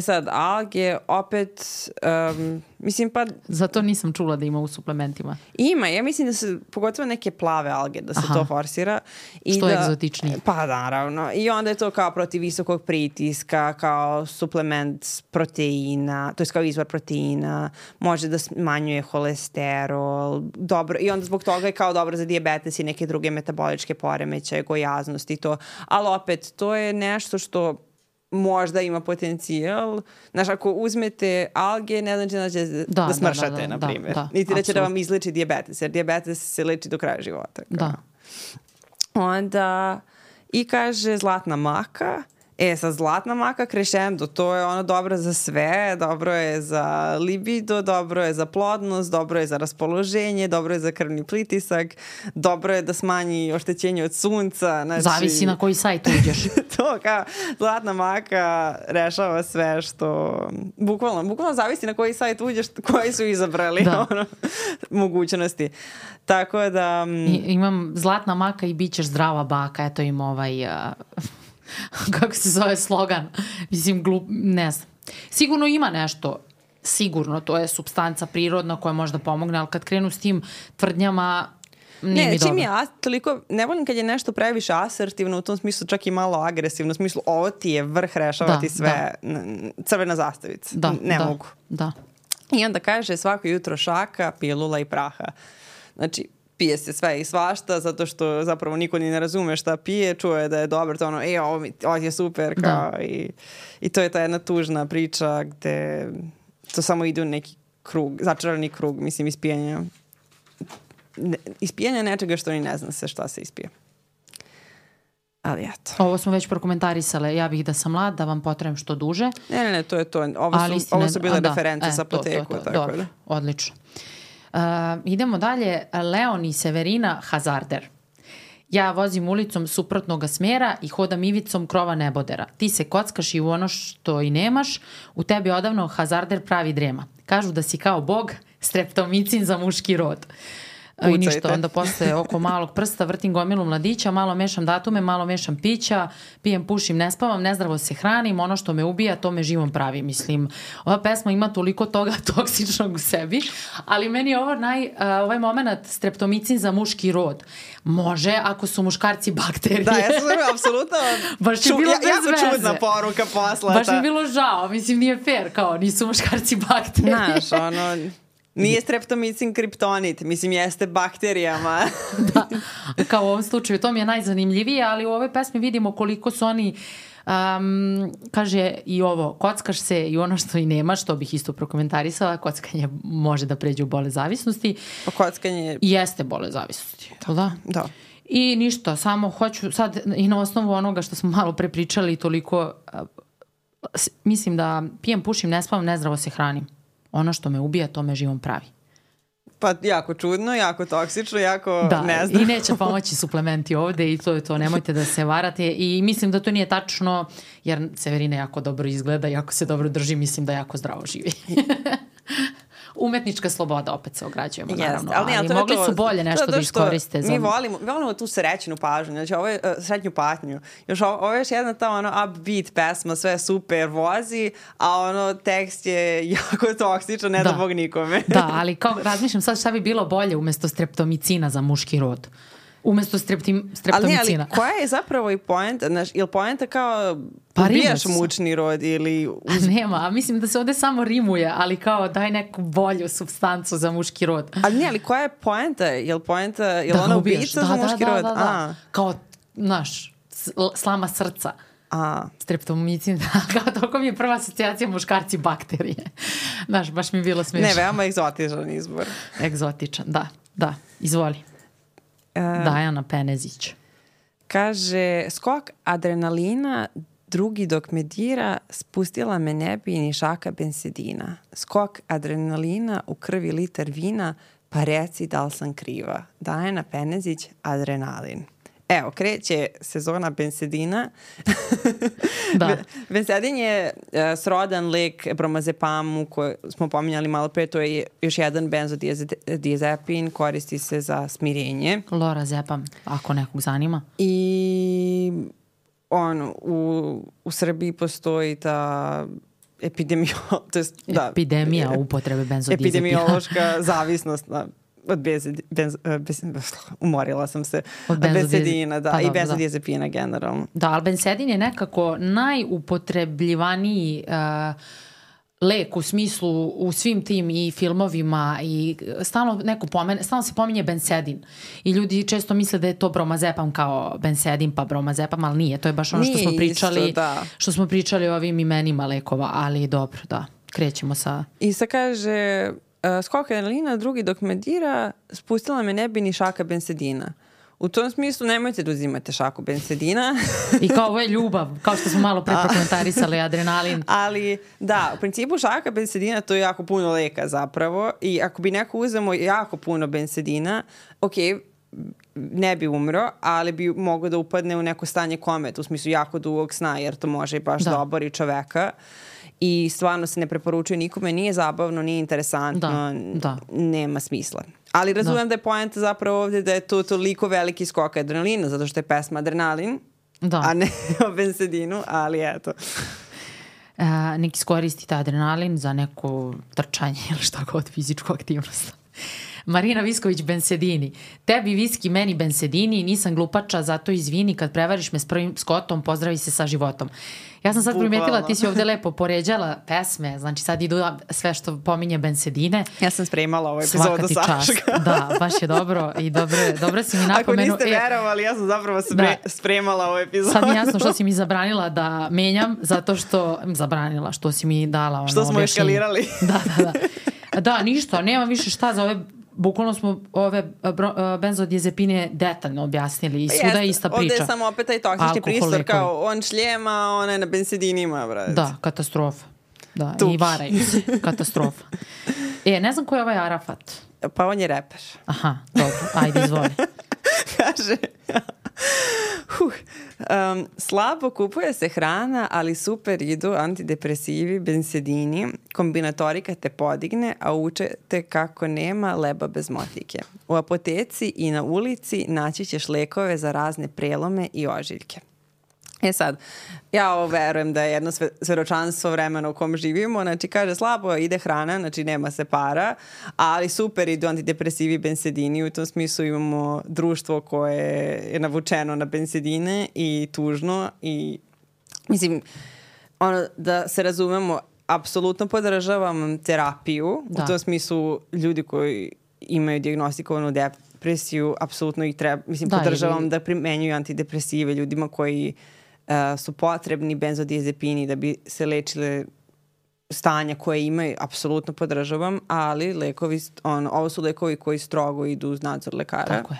Sad, alge opet, mislim pa... Zato nisam čula da ima u suplementima. Ima, ja mislim da se, pogotovo neke plave alge, da se to forsira. Što je egzotičnije. Pa naravno. I onda je to kao protiv visokog pritiska, kao suplement proteina, to je kao izvor proteina, može da smanjuje holesterol, dobro. I onda zbog toga je kao dobro za dijabetes i neke druge metaboličke poremećaje, gojaznost i to. Ali opet, to je nešto što možda ima potencijal. Znaš, ako uzmete alge, ne znači da će da smršate, na primjer. Niti da će da vam izleči dijabetes, jer dijabetes se leči do kraja života. Da. Onda, i kaže zlatna maka. Sad zlatna maka crescendo, to je ono dobro za sve, dobro je za libido, dobro je za plodnost, dobro je za raspoloženje, dobro je za krvni pritisak, dobro je da smanji oštećenje od sunca. Znači, zavisi na koji sajt uđeš. To kao zlatna maka rešava sve što bukvalno zavisi na koji sajt uđeš, koji su izabrali mogućnosti. Tako da... Imam zlatna maka i bit ćeš zdrava baka, eto im kako se zove slogan, mislim ne znam. Sigurno ima nešto sigurno, to je supstanca prirodna koja može da pomogne, ali kad krenu s tim tvrdnjama, nije mi dobro. Čim je toliko, ne volim kad je nešto previše asertivno, u tom smislu čak i malo agresivno, u smislu ovo ti je vrh, rešavati sve, crvena zastavica. Ne mogu. Da. I onda kaže svako jutro šaka, pilula i praha. Znači, pije se sve i svašta, zato što zapravo niko ni ne razume šta pije, čuje da je dobro, to ono, ovo je super, kao, i to je ta jedna tužna priča gde to samo ide u neki krug, začarani krug, mislim, ispijanja nečega što ni ne zna se šta se ispije. Ali eto. Ovo smo već prokomentarisale. Ja bih da sam mlad, da vam potrebam što duže. Ne, to je to. Ovo su bile reference za apoteku. To. Dobro, odlično. Idemo dalje. Leon i Severina Hazarder. Ja vozim ulicom suprotnoga smjera i hodam ivicom krova nebodera. Ti se kockaš i u ono što i nemaš, u tebi odavno Hazarder pravi drema. Kažu da si kao bog, streptomicin za muški rod. I ništa, onda posle oko malog prsta vrtim gomilu mladića, malo mešam datume, malo mešam pića, pijem, pušim, ne spavam, nezdravo se hranim, ono što me ubija, to me živom pravi. Mislim, ova pesma ima toliko toga toksičnog u sebi, ali meni je ovo ovaj moment streptomicin za muški rod. Može ako su muškarci bakterije. Da, ja sam apsolutno baš je bilo bez veze. Čudna poruka posla. Baš mi je bilo žao, mislim, nije fair, kao nisu muškarci bakterije. Znaš, ono... Nije streptomicin kriptonit, mislim, jeste bakterijama. Da, kao u ovom slučaju, to mi je najzanimljivije, ali u ovoj pesmi vidimo koliko su oni, kaže i ovo, kockaš se i ono što i nemaš, što bih isto prokomentarisala, kockanje može da pređe u bolest zavisnosti. Pa kockanje... Jeste bolest zavisnosti, da? Da. I ništa, samo hoću sad i na osnovu onoga što smo malo prepričali toliko, mislim da pijem, pušim, ne spavam, nezdravo se hranim. Ono što me ubija, to me živom pravi. Pa jako čudno, jako toksično, jako ne znam. Da, i neće pomoći suplementi ovde i to je to, nemojte da se varate. I mislim da to nije tačno, jer Severina jako dobro izgleda, jako se dobro drži, mislim da jako zdravo živi. Umetnička sloboda, opet se ograđujemo, naravno. Ali mogli su bolje nešto da iskoriste. Mi volimo tu srećnu pažnju, znači ovo je srećnu patnju. Ovo je još jedna ta upbeat pesma, sve super vozi, a tekst je jako toksičan, ne da bog nikome. Da, ali kao razmišljam sad šta bi bilo bolje umesto streptomicina za muški rod. Umesto streptomicina. Ali koja je zapravo i poenta? Ili poenta kao ubijaš mučni rod ili... Nema, mislim da se ovde samo rimuje, ali kao daj neku bolju supstancu za muški rod. Ali koja je poenta? Je li ona ubica za muški rod? Da. Kao, znaš, slama srca. Streptomicin, kao toliko mi je prva asocijacija muškarci bakterije. Znaš, baš mi je bilo smiješno. Ne, veoma egzotičan izbor. Egzotičan, da, izvoli. Dajana Penezić. Kaže, skok adrenalina, drugi dok me dira, spustila me ne bi ni šaka bensedina. Skok adrenalina, u krvi liter vina, pa reci da li sam kriva. Dajana Penezić, adrenalin. Evo, kreće sezona bensedina. Da. Bensedin je srodan lek bromazepamu koji smo pominjali malo pre, to je još jedan benzodiazepin, koristi se za smirenje. Lorazepam, ako nekog zanima. I u Srbiji postoji ta epidemija upotrebe benzodiazepina. Epidemiološka zavisnost umorila sam se od bensedina, da, i benzodiazepina generalno. Da, ali bensedin je nekako najupotrebljivaniji lek u smislu u svim tim i filmovima i stalno se pominje bensedin i ljudi često misle da je to bromazepam kao bensedin pa bromazepam, ali nije, to je baš ono što smo pričali što smo pričali o ovim imenima lekova, ali dobro, da, krećemo sa... I sad kaže... skok adrenalina, drugi dok me dira, spustila me ne bi ni šaka bensedina. U tom smislu nemojte da uzimate šaku bensedina. I kao ovo je ljubav, kao što smo malo pre prokomentarisali adrenalin. Ali da, u principu šaka bensedina to je jako puno leka zapravo i ako bi neko uzemo jako puno bensedina, ne bi umro, ali bi mogao da upadne u neko stanje kometa, u smislu jako dugog sna, jer to može i baš da obori čoveka. I stvarno se ne preporučuje nikome, nije zabavno, nije interesantno, nema smisla. Ali razumijem da je poenta zapravo ovdje da je to toliko veliki skok adrenalina, zato što je pesma Adrenalin, a ne o bensedinu, ali eto. nek iskoristi taj adrenalin za neko trčanje ili šta god, fizičku aktivnost. Marina Visković Bensedini. Tebi viski, meni Bensedini, nisam glupača, zato izvini, kad prevariš me s prvim skotom, pozdravi se sa životom. Ja sam sad primetila, ti si ovde lepo poređala pesme, znači sad idu sve što pominje Bensedine. Ja sam spremala ovu epizodu Saška. Da, baš je dobro i dobro si mi napomenu. Ako niste verovali, ja sam zapravo spremala ovu epizodu. Sad mi jasno što si mi zabranila da menjam, zato što, što si mi dala ono. Što smo eskalirali. Da. Da, ništa, nema više šta za ove. Bukvalno smo ove benzodiazepine detaljno objasnili i svuda je ista priča. Ovdje je samo opet taj toksični pristor kao on šljema, ona je na bensedinima, brate. Da, katastrofa. Da, i varaju se. Katastrofa. Ne znam ko je ovaj Arafat. Pa on je reper. Aha, dobro, ajde izvoli. Kaže... slabo kupuje se hrana, ali super idu antidepresivi, bensedini, kombinatorika te podigne, a učete kako nema leba bez motike. U apoteci i na ulici naći ćeš lekove za razne prelome i ožiljke. Sad, ja ovo verujem da je jedno svedočanstvo vremena u kom živimo, znači kaže slabo ide hrana, znači nema se para, ali super idu antidepresivi, bensedini, u tom smislu imamo društvo koje je navučeno na bensedine i tužno i mislim, da se razumemo, apsolutno podržavam terapiju, u tom smislu ljudi koji imaju dijagnostikovanu depresiju, apsolutno ih treba, mislim, podržavam da primenjuju antidepresive ljudima koji su potrebni benzodiazepini da bi se lečile stanja koje imaju, apsolutno podržavam, ali lekovi, ovo su lekovi koji strogo idu uz nadzor lekara. Tako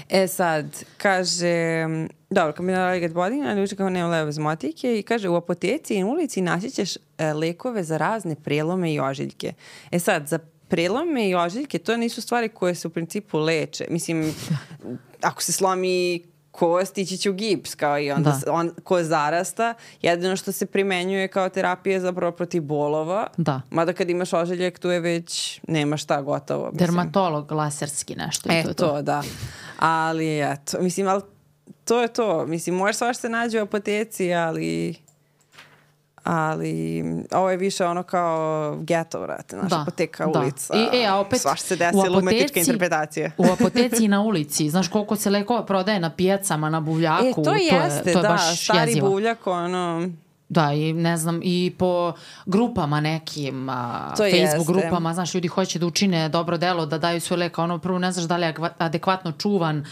je. Sad, kaže, dobro, kombinatorika bodina, ali uče kao nema leba bez motike i kaže, u apoteci i na ulici naći ćeš lekove za razne prelome i ožiljke. Sad, za prelome i ožiljke, to nisu stvari koje se u principu leče. Mislim, ako se slomi kost, ići će u gips, kao i onda ko zarasta. Jedino što se primenjuje kao terapija zapravo protiv bolova. Da. Mada kad imaš ožiljak, tu je već, nema šta, gotovo. Mislim. Dermatolog, laserski nešto. To, da. Ali, eto, mislim, ali to je to. Mislim, možeš svašta se nađe u apoteci, ali ovo je više ono kao geto, vrate, naša apoteka, ulica. A opet svašta se desila umetnička interpretacija. U apoteci i na ulici. Znaš koliko se lekova prodaje na pijacama, na buvljaku. To jeste, to je baš stari jezivo. buvljak, ono... Da, i ne znam, i po grupama nekim, Facebook grupama, znaš, ljudi hoće da učine dobro delo, da daju svoj lek, ono prvo ne znaš da li je adekvatno čuvan.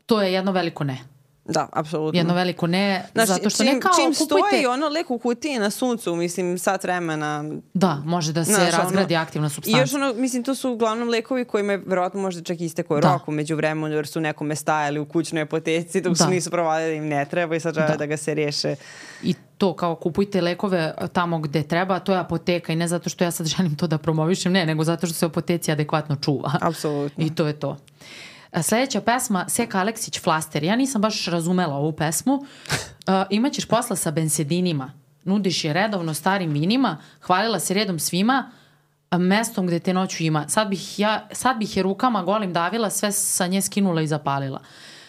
To je jedno veliko ne. Da, apsolutno. Jedno veliko ne, zato što ne kao čim kupujte... stoji ono lek u kutiji na suncu, mislim, sat vremena... Da, može da se razgradi aktivna supstanca. I još ono, mislim, to su uglavnom lekovi kojima je vjerojatno možda čak isteko rok umeđu vremenu, jer su nekome stajali u kućnoj apoteci dok su nisu provalili im ne treba i sad žele da ga se riješe. I to kao kupujte lekove tamo gde treba, to je apoteka i ne zato što ja sad želim to da promovišem, ne, nego zato što se apoteci adekvatno čuva. Apsolutno. I to je to. Sljedeća pesma, Seka Aleksić, Flaster. Ja nisam baš razumela ovu pesmu. Imaćeš posla sa bensedinima. Nudiš je redovno starim vinima. Hvalila se redom svima. Mestom gde te noću ima. Sad bih je rukama golim davila, sve sa nje skinula i zapalila.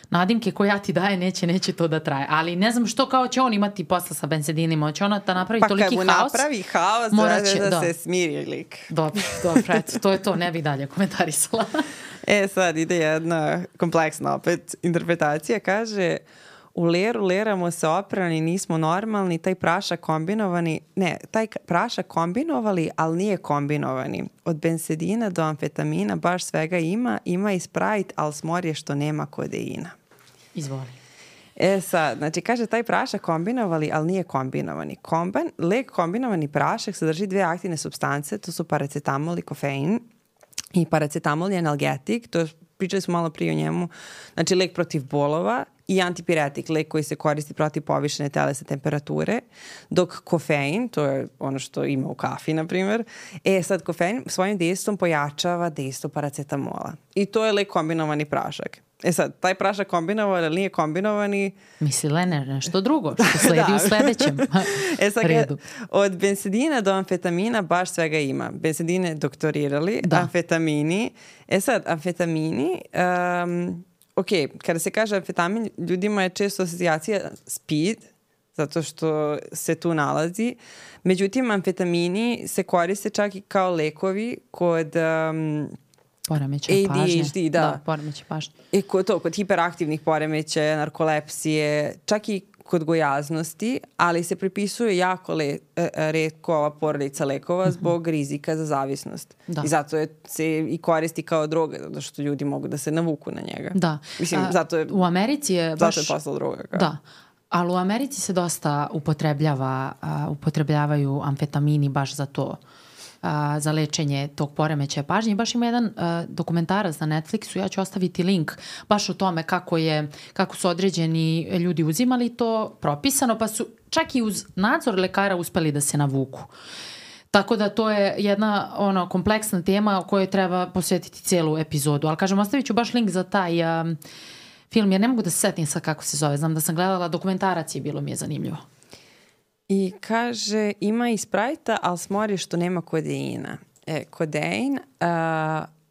Nadimke koje ja ti daje, neće to da traje. Ali ne znam što kao će on imati posla sa bensedinima. Hoće ona da napravi toliki haos. Pa kad mu napravi haos, da se smiri lik. Dobro, eto, to je to. Ne bih dalje komentarisala. Sad ide jedna kompleksna opet interpretacija. Kaže, u leru leramo se oprani, nismo normalni, taj prašak kombinovali, ali nije kombinovani. Od bensedina do amfetamina baš svega ima i Sprite, ali smor je što nema kodeina. Izvoli. Sad, znači kaže taj prašak kombinovali, ali nije kombinovani. Lek kombinovani prašak sadrži dve aktivne supstance, to su paracetamol i kofein. I paracetamol je analgetik, to pričali smo malo prije o njemu, znači lek protiv bolova i antipiretik, lek koji se koristi protiv povišene telesne temperature, dok kofein, to je ono što ima u kafi, na primjer, sad kofein svojim dejstvom pojačava dejstvo paracetamola. I to je lek kombinovani prašak. Sad, taj prašak kombinovani ili nije kombinovani... Mislila je nešto drugo, što sledi u sledećem redu. Od bensedina do amfetamina baš svega ima. Bensedine doktorirali, amfetamini. Sad, amfetamini... kada se kaže amfetamin, ljudima je često asocijacija speed, zato što se tu nalazi. Međutim, amfetamini se koriste čak i kao lekovi kod poremeća ADHD, pažnje. da. Poremeća pažnje. I kod hiperaktivnih poremećaja, narkolepsije, čak i kod gojaznosti, ali se pripisuje jako retko ova porodica lekova zbog rizika za zavisnost. Da. I zato se i koristi kao droga, zato što ljudi mogu da se navuku na njega. Da. Mislim, u Americi je baš... Zato je postala droga. Kao. Da. Ali u Americi se dosta upotrebljavaju amfetamini baš za to, za lečenje tog poremećaja pažnje. Baš ima jedan dokumentarac na Netflixu, ja ću ostaviti link baš o tome kako su određeni ljudi uzimali to propisano, pa su čak i uz nadzor lekara uspeli da se navuku. Tako da to je jedna kompleksna tema o kojoj treba posvetiti cijelu epizodu. Ali kažem, ostavit ću baš link za taj film, jer ne mogu da se setim sad kako se zove. Znam da sam gledala dokumentarac i bilo mi je zanimljivo. I kaže, ima i Sprite-a, ali smori što nema kodeina. Kodein,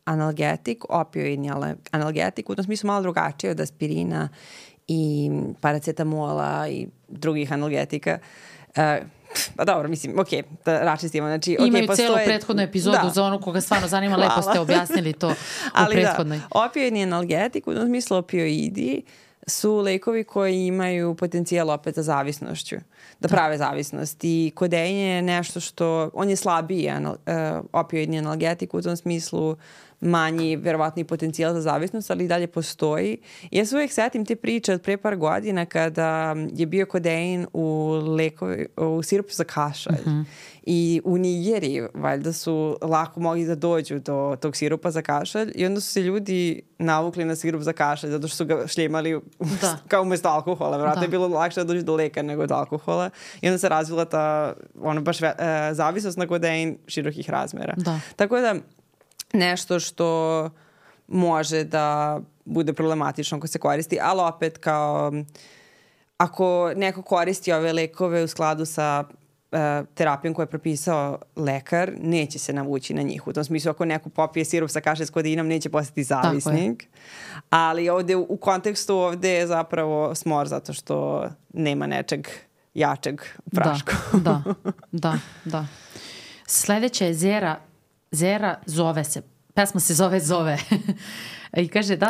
analgetik, opioidni analgetik, u tom smislu malo drugačije od aspirina i paracetamola i drugih analgetika. Pa dobro, mislim, da račistimo. Znači, imaju cijelu prethodnu epizodu za onu koga stvarno zanima, lepo ste objasnili to u prethodnoj. Da, opioidni analgetik, u tom smislu opioidi su lekovi koji imaju potencijal opet za zavisnošću, da prave zavisnost. I kodein je nešto što, on je slabiji opioidni analgetik, u tom smislu manji verovatni potencijal za zavisnost, ali i dalje postoji. Ja se uvijek setim te priče od pre par godina kada je bio kodein u sirupu za kašalj. I u Nigeriji valjda su lako mogli da dođu do tog sirupa za kašalj i onda su se ljudi navukli na sirup za kašalj zato što su ga šljemali kao umjesto alkohola. Vjerojatno je bilo lakše da dođu do leka nego do alkohola. I onda se razvila ta baš zavisnost na kodein širokih razmera. Da. Tako da nešto što može da bude problematično ako se koristi, ali opet kao ako neko koristi ove lekove u skladu sa terapijom koju je propisao lekar, neće se navući na njih. U tom smislu, ako neko popije sirup sa kašalj s kodeinom, neće postati zavisnik. Ali ovde, u kontekstu ovde je zapravo smor zato što nema nečeg jačeg u prašku. Da. Sledeća je Zera zove se. Pesma se zove. I kaže, da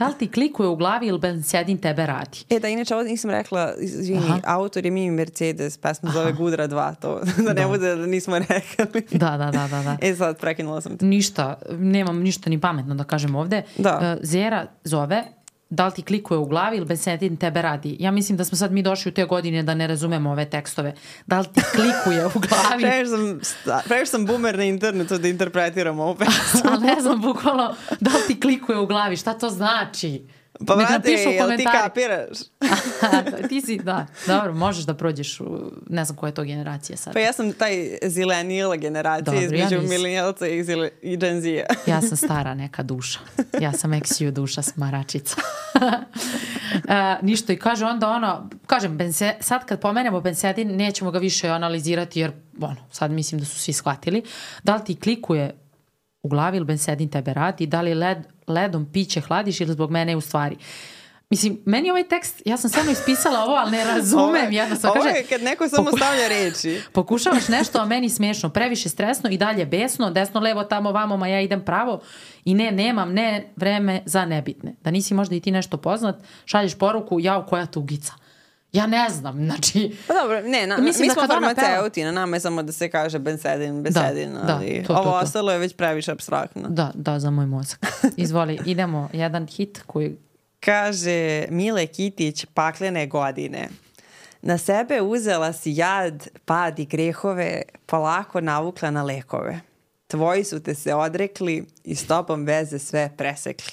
li ti klikuje u glavi ili ben sedim tebe radi? Da, inače ovo nisam rekla, izvini, autor je Mimi Mercedes, pesma zove Gudra 2, to da ne bude da nismo rekli. Da. Sad prekinula sam te. Ništa, nemam ništa ni pametno da kažem ovde. Zera zove, da li ti klikuje u glavi ili ben sedim tebe radi? Ja mislim da smo sad mi došli u te godine da ne razumemo ove tekstove. Da li ti klikuje u glavi? Previše sam boomer na internetu da interpretiram ovu pesmu. Ali ne znam bukvalno da li ti klikuje u glavi. Šta to znači? Pa vrati, jel ti kapiraš? Ti si, da. Dobro, možeš da prođeš u, ne znam koja je to generacija sad. Pa ja sam taj zilenijela generacija između milenijalca i Gen Z-a. Ja sam stara neka duša. Ja sam XU duša smaračica. Ništa. I kaže onda kažem, sad kad pomenemo bensedin, nećemo ga više analizirati jer sad mislim da su svi shvatili. Da li ti klikuje u glavi ili bensedin tebe radi, da li ledom piće hladiš ili zbog mene u stvari. Mislim, meni ovaj tekst, ja sam samo ispisala ovo, ali ne razumem. Ovo je kad neko samo stavlja reči. Pokušavaš nešto, a meni smiješno, previše stresno i dalje besno, desno, levo, tamo, vamo, ma ja idem pravo i nemam vreme za nebitne. Da nisi možda i ti nešto poznat, šalješ poruku, jao, koja tugica. Ja ne znam, znači... Pa dobro, mi smo farmaceuti, na nama je samo da se kaže bensedin, ali ovo ostalo je već previše apstraktno. Da, za moj mozak. Izvoli, idemo, jedan hit koji... Kaže Mile Kitić, paklene godine. Na sebe uzela si jad, pad i grehove, polako navukla na lekove. Tvoji su te se odrekli i s tobom veze sve presekli.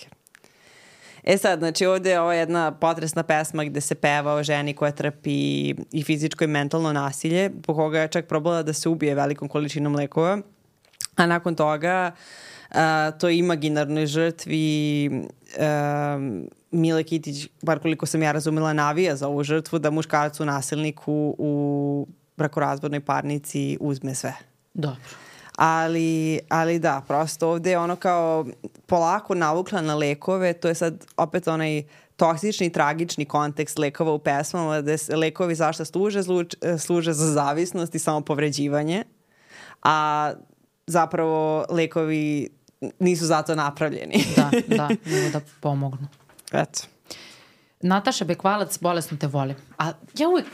Sad, znači ovdje je ovo jedna potresna pesma gde se peva o ženi koja trpi i fizičko i mentalno nasilje, po koga je čak probala da se ubije velikom količinom lekova, a nakon toga to imaginarnoj žrtvi Mile Kitić, bar koliko sam ja razumela, navija za ovu žrtvu da muškarcu nasilniku u brakorazvodnoj parnici uzme sve. Dobro. Ali da, prosto ovdje je ono kao polako navukla na lekove, to je sad opet onaj toksični i tragični kontekst lekova u pesmama, da lekovi zašto služe za zavisnost i samopovređivanje, a zapravo lekovi nisu zato napravljeni. Da, nego da pomognu. Eto. Nataša Bekvalac, bolesno te volim. A ja uvijek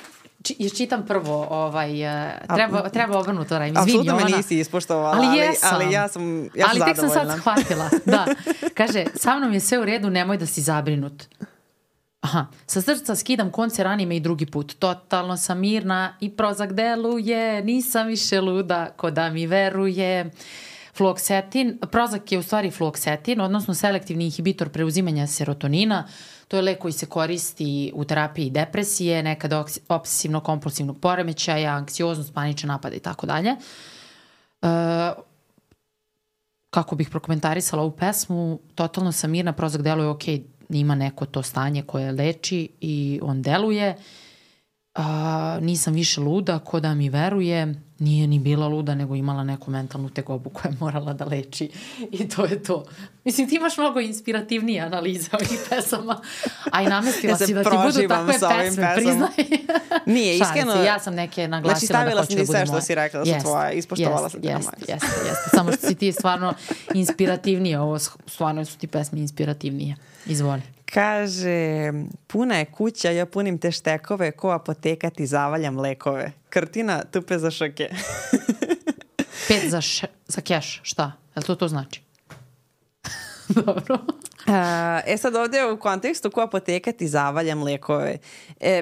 čitam prvo, treba obrnuto radim. Apsolutno me nisi ispoštovala, ali ja sam zadovoljna. Ali tek sam sad shvatila. Da. Kaže, sa mnom je sve u redu, nemoj da si zabrinut. Aha, sa srca skidam konce, rani me i drugi put. Totalno sam mirna i Prozac deluje, nisam više luda, ko da mi veruje. Fluoksetin, Prozac je u stvari fluoksetin, odnosno selektivni inhibitor preuzimanja serotonina. To je lek koji se koristi u terapiji depresije, nekada obsesivno-kompulsivnog poremećaja, anksioznost, panične napade i tako dalje. Kako bih prokomentarisala ovu pesmu, totalno sam mirna, Prozac deluje ok, ima neko to stanje koje leči i on deluje. Nisam više luda, ko da mi veruje, nije ni bila luda, nego imala neku mentalnu tegobu koja je morala da leči i to je to. Mislim, ti imaš mnogo inspirativnije analize ovih pesama, a i namestila si da ti budu takve pesme, priznaj. Nije, iskreno. Ja sam neke naglasila da hoću da budu moje. Znači, stavila sam ti sve što si rekla da su tvoje, ispoštovala sam te na maks. Jeste. Samo što si ti stvarno inspirativnije, ovo stvarno su ti pesme inspirativnije. Izvoli. Kaže, puna je kuća, ja punim te štekove, ko apoteka ti zavaljam lekove. Krtina, tupe za šake. 5 za keš, šta? Jel to znači? Dobro. Sad ovdje u kontekstu ko apoteka ti zavaljam lekove.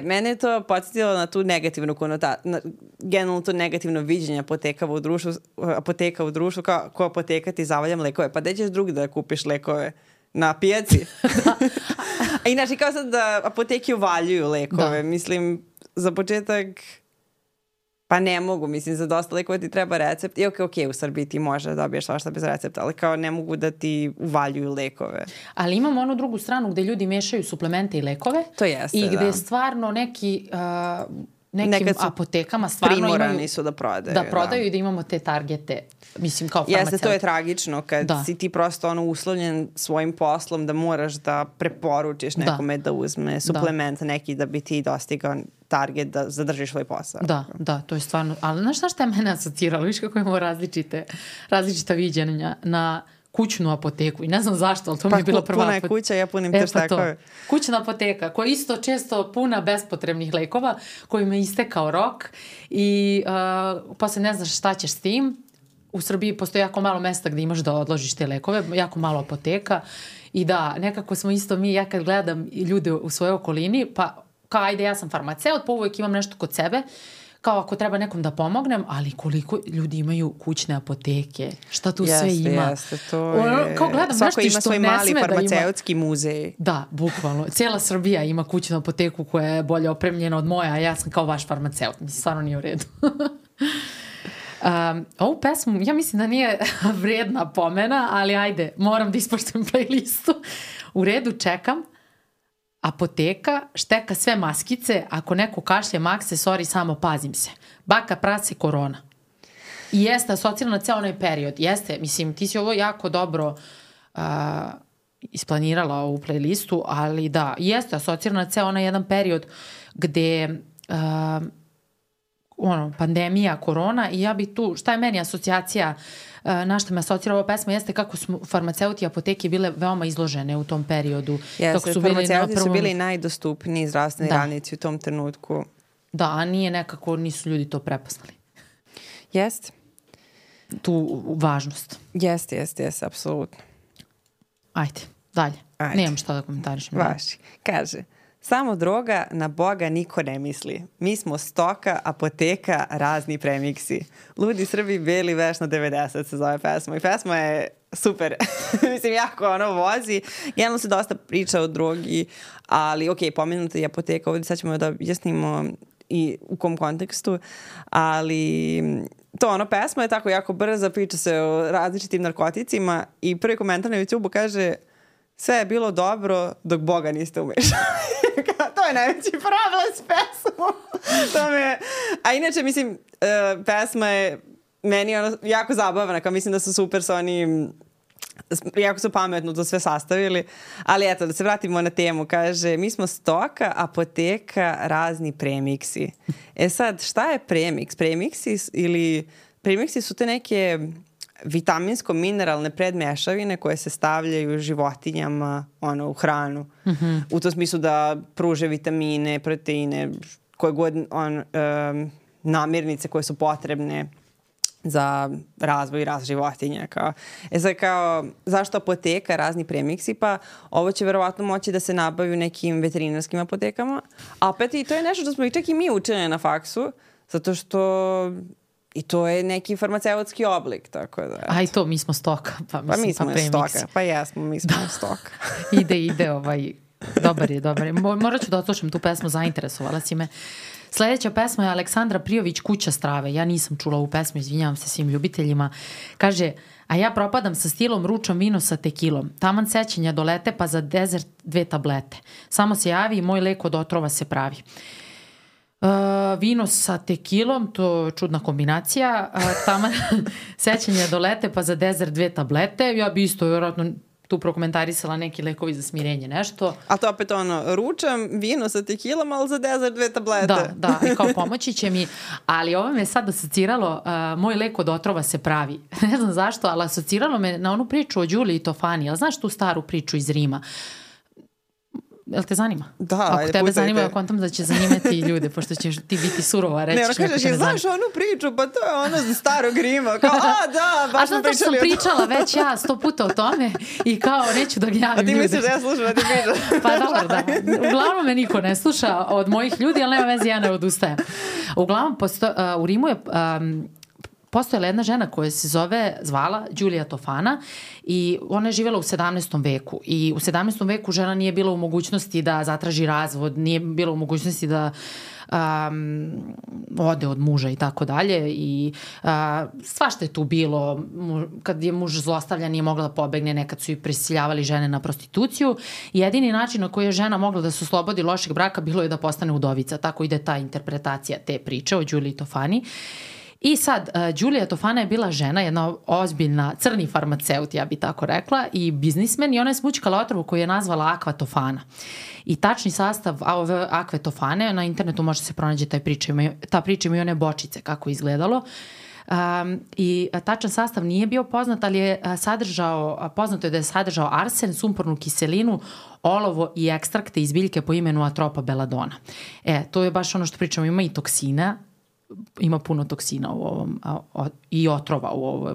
Mene je to podsjetilo na tu negativnu konotaciju, generalno to negativno viđenje apoteka u društvu, kao ko apoteka ti zavaljam lekove. Pa gde ćeš drugi da kupiš lekove? Na pijaci. A inače, kao sad da apoteke uvaljuju lekove. Mislim, za početak pa ne mogu. Mislim, za dosta lekova ti treba recept. I ok, u Srbiji ti može da dobiješ svašta bez recepta, ali kao ne mogu da ti uvaljuju lekove. Ali imamo onu drugu stranu gde ljudi mešaju suplemente i lekove. To jeste, i gde stvarno nekim apotekama stvarno primorani su da prodaju. Da prodaju i da imamo te targete. Mislim, kao farmaceut. Jeste, to je tragično kad si ti prosto uslovljen svojim poslom da moraš da preporučiš nekome da uzme suplement neki da bi ti dostigao target da zadržiš svoj posao. Da, to je stvarno. Ali znaš šta je mene asociralo? Viš kako imamo različita viđenja na kućnu apoteku i ne znam zašto, ali to mi je bila prva puna je kuća, ja punim te štekove. Kućna apoteka koja je isto često puna bespotrebnih lekova kojima je istekao rok i posle ne znaš šta ćeš s tim. U Srbiji postoji jako malo mesta gde imaš da odložiš te lekove, jako malo apoteka i da, nekako smo isto ja kad gledam ljude u svojoj okolini, pa kao ajde ja sam farmaceut, pa uvijek imam nešto kod sebe, kao ako treba nekom da pomognem, ali koliko ljudi imaju kućne apoteke, šta tu sve ima. Jeste, to je. Kao gledam svako nešto ima svoj mali farmaceutski muzej. Da, bukvalno. Cijela Srbija ima kućnu apoteku koja je bolje opremljena od moja, a ja sam kao vaš farmaceut. Mislim, stvarno nije u redu. Ovu pesmu, ja mislim da nije vredna pomena, ali ajde, moram da ispoštujem playlistu. U redu, čekam. Apoteka šteka sve maskice, ako neko kašlje makse, sorry, samo pazim se. Baka, prase, korona. I jeste asocirana na ceo onaj period. Jeste, mislim, ti si ovo jako dobro isplanirala ovu playlistu, ali da, jeste asocirana na ceo onaj jedan period gde pandemija, korona i ja bi tu, šta je meni asocijacija, na što me asocira ova pesma jeste kako su farmaceuti i apoteke bile veoma izložene u tom periodu. Jeste, farmaceuti su bili najdostupniji zdravstveni radnici u tom trenutku. Da, a nisu ljudi to prepoznali. Jeste. Tu važnost. Jeste, apsolutno. Ajde, dalje. Nemam šta da komentarišem. Vaši. Kaže, samo droga, na Boga niko ne misli. Mi smo stoka, apoteka, razni premiksi. Ludi Srbi, beli veš na 90 se zove pesma. I pesma je super. Mislim, jako vozi. Generalno se dosta priča o drogi, ali pomenuta je apoteka. Ovdje sad ćemo da objasnimo i u kom kontekstu, ali to pesma je tako jako brza, priča se o različitim narkoticima i prvi komentar na YouTube-u kaže sve je bilo dobro dok Boga niste umešali. To je najveći problem s pesmom. A inače, mislim, pesma je meni jako zabavna, kao mislim da su super sa onim jako su pametno to sve sastavili, ali eto, da se vratimo na temu, kaže, mi smo stoka, apoteka, razni premiksi. Sad, šta je premiks? Premiksi su te neke vitaminsko-mineralne predmešavine koje se stavljaju životinjama u hranu. U tom smislu da pruže vitamine, proteine, koje god namirnice koje su potrebne za razvoj i rast životinja. Sad zašto apoteka, razni premiksi? Pa ovo će verovatno moći da se nabavi u nekim veterinarskim apotekama. A opet i to je nešto što smo čak i mi učili na faksu, zato što i to je neki farmaceutski oblik, tako da... A i to, mi smo stoka. Pa mi smo stoka. Pa jesmo, mi smo stoka. Ide, dobar je. Morat ću da odslušam tu pesmu, zainteresovala si me. Sljedeća pesma je Aleksandra Prijović, Kuća strave. Ja nisam čula ovu pesmu, izvinjavam se svim ljubiteljima. Kaže, a ja propadam sa stilom, ručam vino sa tekilom. Taman sećanja dolete, pa za dezert 2 tablete. Samo se javi i moj lek od otrova se pravi. Vino sa tekilom, to je čudna kombinacija. Taman sećanja dolete, pa za dezert 2 tablete. Ja bi isto vjerojatno tu prokomentarisala neki lekovi za smirenje, nešto. A to opet ručam vino sa tekilom, ali za dezert 2 tablete. Da, i kao pomoći će mi. Ali ovo me sad asociralo, moj lek od otrova se pravi. Ne znam zašto, ali asociralo me na onu priču o Đuliji Tofani. Ali znaš tu staru priču iz Rima? Jel te zanima? Da, ako tebe zanima, ja kontam da će zanimati ljude, pošto ćeš ti biti surova reći. Ne, kažeš, znaš onu priču, pa to je iz starog Rima. Kao, baš smo pričali sam pričala već ja 100 puta o tome i kao neću da gnjavim ljude. A ti misliš da ja slušam da ti pričam? Pa dobro, da. Uglavnom me niko ne sluša od mojih ljudi, ali nema veze, ja ne odustajem. Uglavnom, u Rimu je... postojala jedna žena koja se zvala Đulija Tofana i ona je živjela u 17. veku i u 17. veku žena nije bila u mogućnosti da zatraži razvod, nije bila u mogućnosti da ode od muža i tako dalje i svašta je tu bilo. Kad je muž zlostavljan nije mogla da pobegne, nekad su i prisiljavali žene na prostituciju. Jedini način na koji je žena mogla da se oslobodi lošeg braka bilo je da postane udovica. Tako ide ta interpretacija te priče o Đuliji Tofani. I sad, Đulija Tofana je bila žena, jedna ozbiljna crni farmaceut, ja bi tako rekla, i biznismen, i ona je smućkala otrovu koju je nazvala Aqua Tofana. I tačni sastav Aqua Tofane, na internetu može se pronaći ta priča, ima i one bočice kako je izgledalo. I tačan sastav nije bio poznat, ali je poznato je da je sadržao arsen, sumpornu kiselinu, olovo i ekstrakte iz biljke po imenu Atropa belladonna. To je baš ono što pričamo, ima i toksina, ima puno toksina u ovom, i otrova u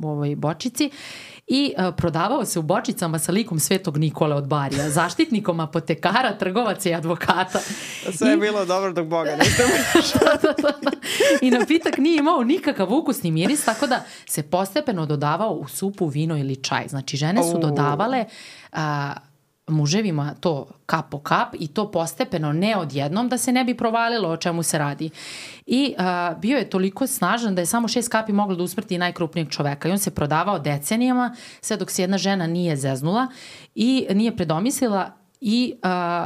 ovoj bočici i prodavao se u bočicama sa likom Svetog Nikole od Barija, zaštitnikom apotekara, trgovaca i advokata. Sve je bilo dobro dok Boga niste I napitak nije imao nikakav ukusni miris, tako da se postepeno dodavao u supu, vino ili čaj. Znači žene su dodavale muževima to kap po kap i to postepeno, ne odjednom, da se ne bi provalilo o čemu se radi. I bio je toliko snažan da je samo 6 kapi moglo da usmrti najkrupnijeg čoveka i on se prodavao decenijama sve dok se jedna žena nije zeznula i nije predomislila i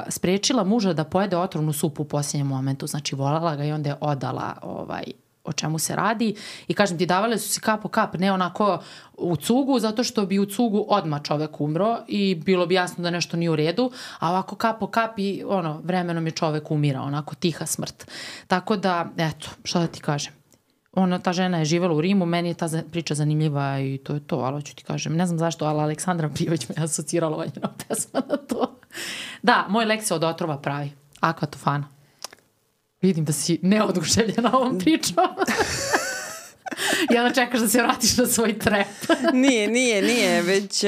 sprečila muža da pojede otrovnu supu u posljednjem momentu. Znači voljela ga i onda je odala o čemu se radi i kažem ti, davale su se kap po kap, ne onako u cugu, zato što bi u cugu odmah čovek umro i bilo bi jasno da nešto nije u redu, a ovako kap po kap i vremenom je čovek umirao, onako tiha smrt. Tako da, eto, šta da ti kažem. Ta žena je živjela u Rimu, meni je ta priča zanimljiva i to je to, ali ću ti kažem, ne znam zašto, ali Aleksandra Prijović me asocirala njena pesma na to. Da, moj lek se od otrova pravi. Aqua Tofana. Vidim da si neoduševljena ovom pričom. Ja čekaš da se vratiš na svoj trep. Nije, već...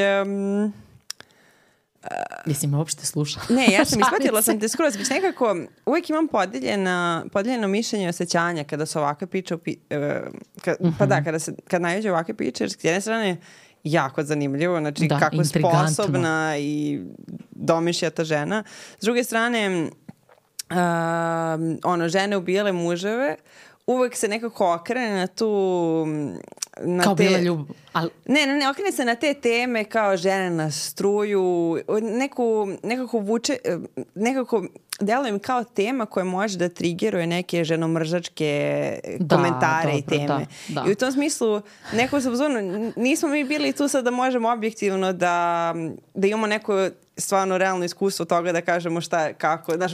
Jesi me uopšte slušala? Ne, ja sam ispatila sam te skroz, već nekako uvijek imam podeljeno mišljenje i osjećanja kada su ovakve priče, kad nađe ovakve priče, jer s jedne strane jako zanimljivo, znači kako je sposobna i domišljata žena. S druge strane, žene ubijale muževe, uvek se nekako okrene na tu... Kao bila ljubav. Ne, okrene se na te teme kao žene na struju, nekako deluje mi kao tema koja može da triggeruje neke ženomržačke komentare i teme. Da. I u tom smislu, neko se pozorno, nismo mi bili tu sad da možemo objektivno da imamo neko stvarno realno iskustvo toga da kažemo šta, kako. Znaš,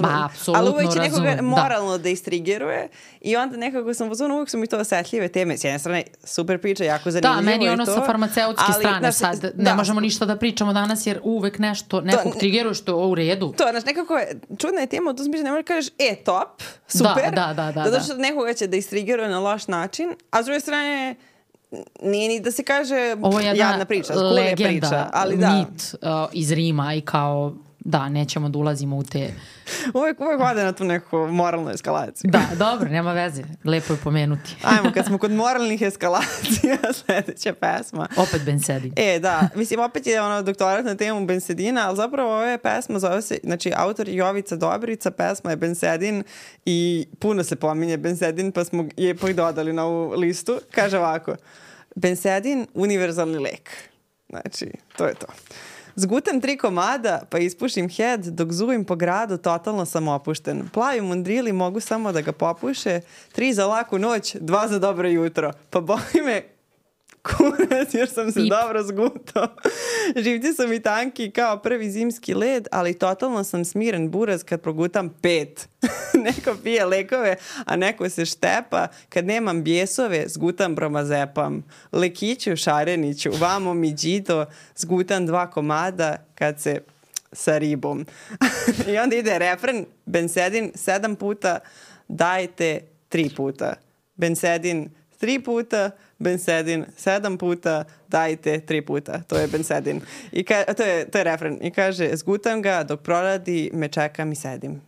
ali uvek će nekoga moralno da istrigeruje i onda nekako sam pozorno, uvek su mi to osetljive teme. S jedne strane, super priča, jako zanimljivo. Da, meni je ono sa farmaceutske strane sad. Ne možemo ništa da pričamo danas jer uvek nešto nekog trigeruje što je u redu. To, znaš, nekako čudna je tema, u tom smislu ne možeš kažeš, top, super. Da. Zato što nekoga će da istrigeruje na loš način, a s druge strane nije ni da se kaže jadna priča, legenda, priča, ali mit iz Rima i kao da, nećemo da ulazimo u te... Uvijek vode na tu neku moralnu eskalaciju. Da, dobro, nema veze. Lepo je pomenuti. Ajmo, kad smo kod moralnih eskalacija, sljedeća pesma. Opet Bensedin. Da. Mislim, opet je doktorat na temu Bensedina, ali zapravo ova je pesma, zove se, znači, autor Jovica Dobrica, pesma je Bensedin i puno se pominje Bensedin, pa smo je dodali na ovu listu. Kaže ovako, Bensedin, univerzalni lek. Znači, to je to. Zgutam 3 komada, pa ispušim head, dok zuvim po gradu, totalno sam opušten. Plavi mundrili mogu samo da ga popuše, 3 za laku noć, 2 za dobro jutro. Pa boli me kurac jer sam se dobro zgutao. Živci su mi tanki kao prvi zimski led, ali totalno sam smiren buraz kad progutam 5. Neko pije lekove, a neko se štepa. Kad nemam bjesove, zgutam bromazepam. Lekiću, šareniću, vamo mi džito, zgutam 2 komada kad se sa ribom. I onda ide refren, Bensedin 7 puta, dajte 3 puta. Bensedin 3 puta, Bensedin 7 puta, dajte 3 puta. To je Bensedin. To je refren. I kaže, zgutam ga, dok proradi, me čekam i sedim.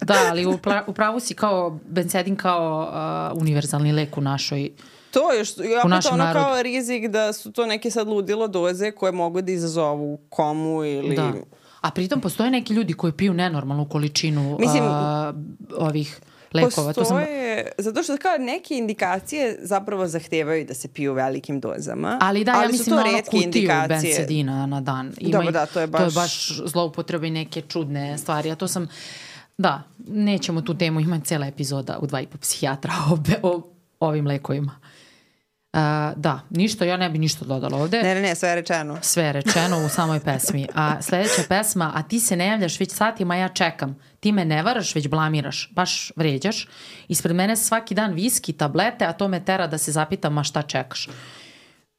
Da, ali upravo si kao Bensedin kao univerzalni lek u našoj to je opet ono kao rizik da su to neke sad ludilo doze koje mogu da izazovu komu ili... Da. A pritom postoje neki ljudi koji piju nenormalnu količinu ovih lekova. Postoje, zato što kao neke indikacije zapravo zahtevaju da se piju velikim dozama. Ali da, ja mislim na kutiju Bensedina na dan. Dobro, da, to je baš zloupotrebe i neke čudne stvari. A to sam... Da, nećemo tu temu, ima cijela epizoda u 2,5 psihijatra o ovim lekovima. Da, ništa, ja ne bi ništa dodala ovde. Ne, sve je rečeno. Sve je rečeno u samoj pesmi. A sljedeća pesma, a ti se ne javljaš već satima, ja čekam. Ti me ne varaš, već blamiraš, baš vređaš. Ispred mene svaki dan viski, tablete, a to me tera da se zapitam, ma šta čekaš?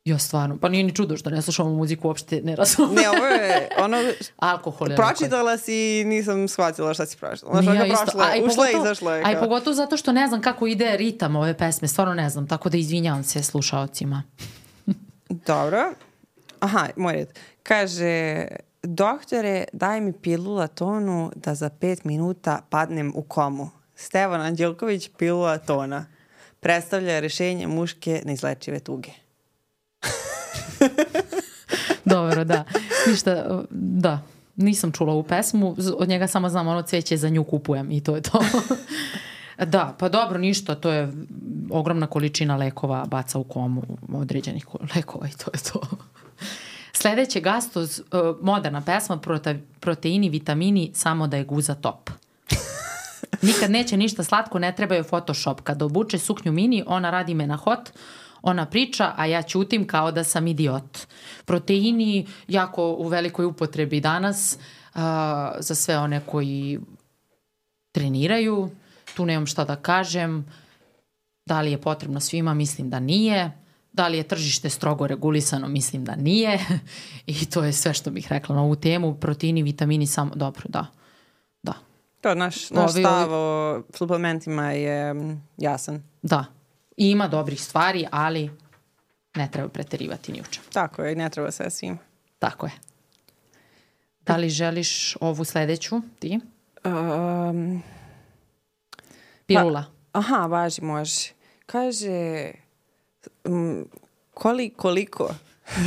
Ja stvarno, pa nije ni čudo što ne slušamo muziku, uopšte ne razumijem. Ne, ovo je ono... Alkohol je pročitala si i nisam shvatila šta si pročitala. Nije isto. Ušla i izašla je. A i pogotovo zato što ne znam kako ide ritam ove pesme, stvarno ne znam, tako da izvinjavam se slušaocima. Dobro. Aha, moj red. Kaže, doktore, daj mi pilula tonu da za 5 minuta padnem u komu. Stevan Anđelković, pilula tona. Predstavlja rješenje muške neizlečive tuge. Dobro, da. Ništa, da. Nisam čula ovu pesmu, od njega samo znam ono cveće za nju kupujem i to je to. Da, pa dobro, ništa, to je ogromna količina lekova baca u komu, određenih lekova i to je to. Sljedeće Gastoz, moderna pesma, proteini, vitamini, samo da je guza top. Nikad neće ništa slatko, ne treba joj Photoshop. Kad obuče suknju mini, ona radi me na hot, ona priča, a ja ćutim kao da sam idiot. Proteini jako u velikoj upotrebi danas za sve one koji treniraju. Tu nemam šta da kažem. Da li je potrebno svima? Mislim da nije. Da li je tržište strogo regulisano? Mislim da nije. I to je sve što bih rekla na ovu temu. Proteini, vitamini, samo dobro, da. To naš stav o suplementima je jasan. Da. I ima dobrih stvari, ali ne treba preterivati ni u čemu. Tako je, ne treba sve svima. Tako je. Da li želiš ovu sljedeću, ti? Pilula. Aha, važi, može. Kaže, koliko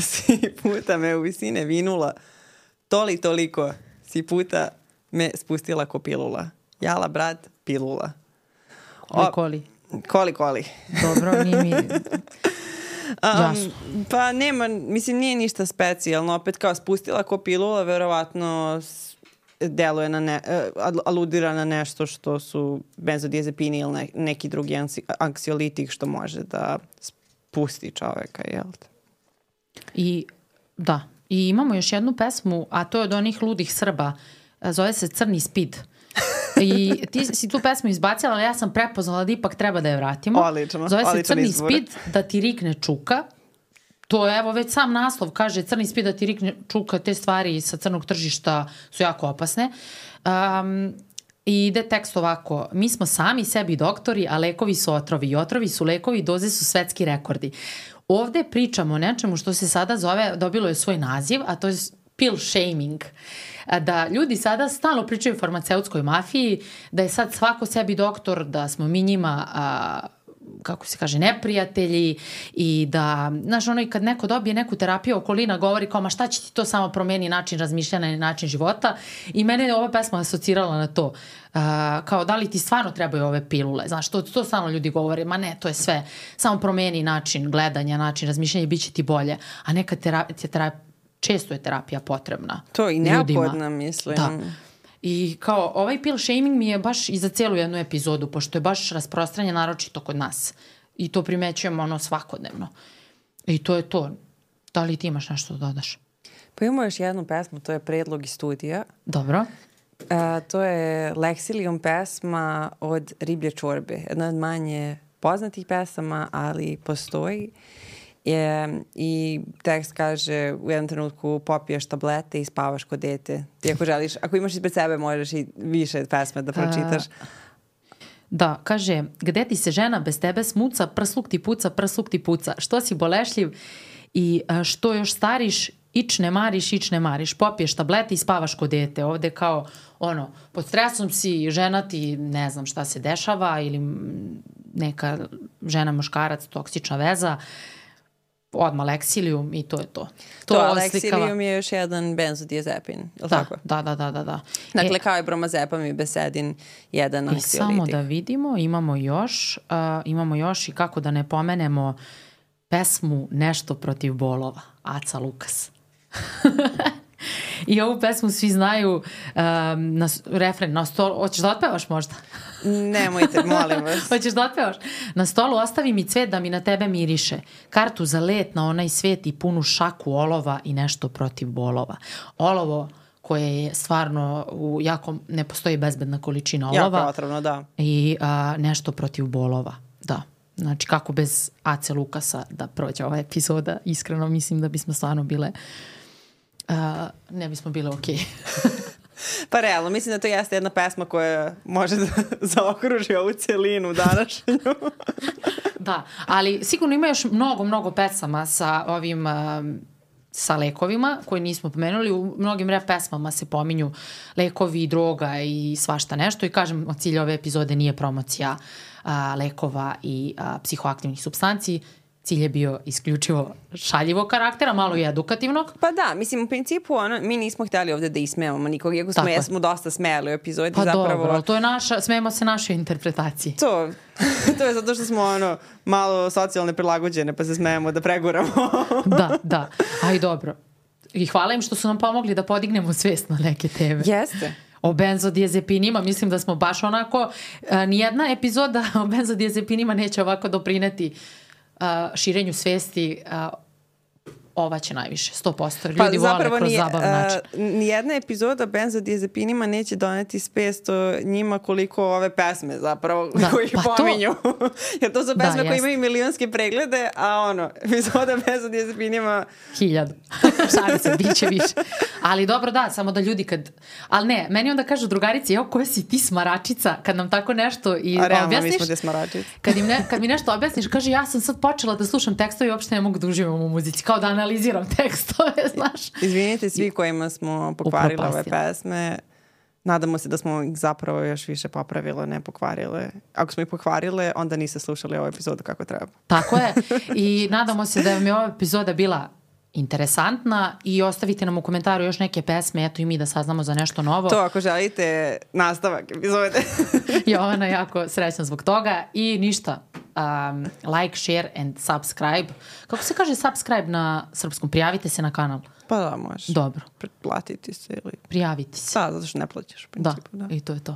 si puta me u visine vinula, toliko si puta me spustila ko pilula. Jala, brat, pilula. Koli. Dobro, nije mi... Jasno. Pa nema, mislim, nije ništa specijalno. Opet kao spustila ko pilula, verovatno deluje na aludira na nešto što su benzodiazepini ili neki drugi anksiolitik što može da spusti čoveka, jel te? I imamo još jednu pesmu, a to je od onih ludih Srba, zove se Crni Spid. I ti si tu pesmu izbacila, ali ja sam prepoznala da ipak treba da je vratimo. Odlično. Zove se Crni Spid, da ti rikne čuka. To je, evo, već sam naslov kaže Crni Spid, da ti rikne čuka, te stvari sa crnog tržišta su jako opasne. I ide tekst ovako: mi smo sami sebi doktori, a lekovi su otrovi. I otrovi su lekovi, doze su svetski rekordi. Ovde pričamo o nečemu što se sada zove, dobilo je svoj naziv, a to je pill shaming. Da ljudi sada stalno pričaju o farmaceutskoj mafiji, da je sad svako sebi doktor, da smo mi njima, kako se kaže, neprijatelji i da, znaš, ono, i kad neko dobije neku terapiju, okolina govori kao, ma šta će ti to, samo promeni način razmišljanja i način života. I mene je ova pesma asocirala na to. Kao, da li ti stvarno trebaju ove pilule? Znaš, to stalno ljudi govore, ma ne, to je sve. Samo promeni način gledanja, način razmišljanja i bit će ti bolje. A neka često je terapija potrebna. To i neophodna, mislim. Da. I kao, ovaj pill shaming mi je baš i za cijelu jednu epizodu, pošto je baš rasprostranjen naročito kod nas. I to primećujemo ono svakodnevno. I to je to. Da li ti imaš nešto da dodaš? Pa imamo još jednu pesmu, to je Predlog iz studija. Dobro. To je Lexilium pesma od Riblje čorbe. Jedna od manje poznatih pesama, ali postoji. I tekst kaže u jednom trenutku popiješ tablete i spavaš kod dete. Ti ako želiš, ako imaš ispred sebe, možeš i više pesme da pročitaš. Da, kaže, gde ti se žena bez tebe smuca, prsluk ti puca, što si bolešljiv i što još stariš, ić ne mariš, popiješ tablete i spavaš kod dete. Ovde kao, ono, pod stresom si, žena ti, ne znam šta se dešava, ili neka žena muškarac, toksična veza, odmah Lexilium i to je to. Lexilium je još jedan benzodiazepin, je li tako? Da. Dakle, kao je bromazepam i besedin, jedan anksiolitik. I samo da vidimo, imamo još i kako da ne pomenemo pesmu Nešto protiv bolova, Aca Lukas. I ovu pesmu svi znaju, refren na stolu. Hoćeš da otpevaš možda? Nemojte, molim vas. Hoćeš da otpevaš? Na stolu ostavi mi cvet da mi na tebe miriše. Kartu za let na onaj svet i punu šaku olova i nešto protiv bolova. Olovo koje je stvarno ne postoji bezbedna količina olova. Jako otrovno, da. I nešto protiv bolova, da. Znači, kako bez Ace Lukasa da prođe ova epizoda. Iskreno mislim da bismo stvarno bile... ne bismo bile okej. Pa realno, mislim da to jeste jedna pesma koja može da zaokruži ovu celinu današnju. Da, ali sigurno ima još mnogo pesama sa ovim sa lekovima koje nismo pomenuli. U mnogim rap pesmama se pominju lekovi, droga i svašta nešto. I kažem, cilj ove epizode nije promocija lekova i psihoaktivnih supstanci. Cilj je bio isključivo šaljivog karaktera, malo i edukativnog. Pa da, mislim, u principu mi nismo htjeli ovdje da ismevamo nikog, iako smo dosta smejali u epizodi. Pa zapravo... dobro, to je smejemo se našoj interpretaciji. To je zato što smo malo socijalne prilagođene, pa se smejemo da preguramo. Da, aj dobro. I hvala im što su nam pomogli da podignemo svest na neke teme. Jeste. O benzodiazepinima, mislim da smo baš onako, nijedna epizoda o benzodiazepinima neće ovako doprineti širenju svesti, ova će najviše, 100%. Ljudi vole kroz zabavan način. Nijedna epizoda o benzodiazepinima neće doneti svest o njima koliko ove pesme zapravo koji pominju. Jer to su pesme koje imaju milionske preglede, a epizoda o benzodiazepinima 1000. Šalim se, bit će više. Ali dobro, da, samo da ljudi ali ne, meni onda kažu drugarici, evo koja si ti smaračica, kad nam tako nešto i a realno, objasniš. mi smo te smaračice. Kad mi nešto objasniš, kaže, ja sam sad počela da slušam tekstove i uopšte ne mogu da uživam u muzici. Kao da analiziram tekstove, znaš. Izvinite svi kojima smo pokvarili ove pesme. Nadamo se da smo ih zapravo još više popravile, ne pokvarile. Ako smo ih pokvarile, onda niste slušali ovu epizodu kako treba. Tako je. I nadamo se da vam je ova epizoda bila interesantna i ostavite nam u komentaru još neke pesme, eto i mi da saznamo za nešto novo. To ako želite nastavak epizode. Jovana jako srećna zbog toga i ništa. like, share and subscribe. Kako se kaže subscribe na srpskom? Prijavite se na kanal. Pa da, možeš. Dobro. Pretplatiti se ili... Prijaviti se. Da, zato što ne plaćaš u principu. Da, i to je to.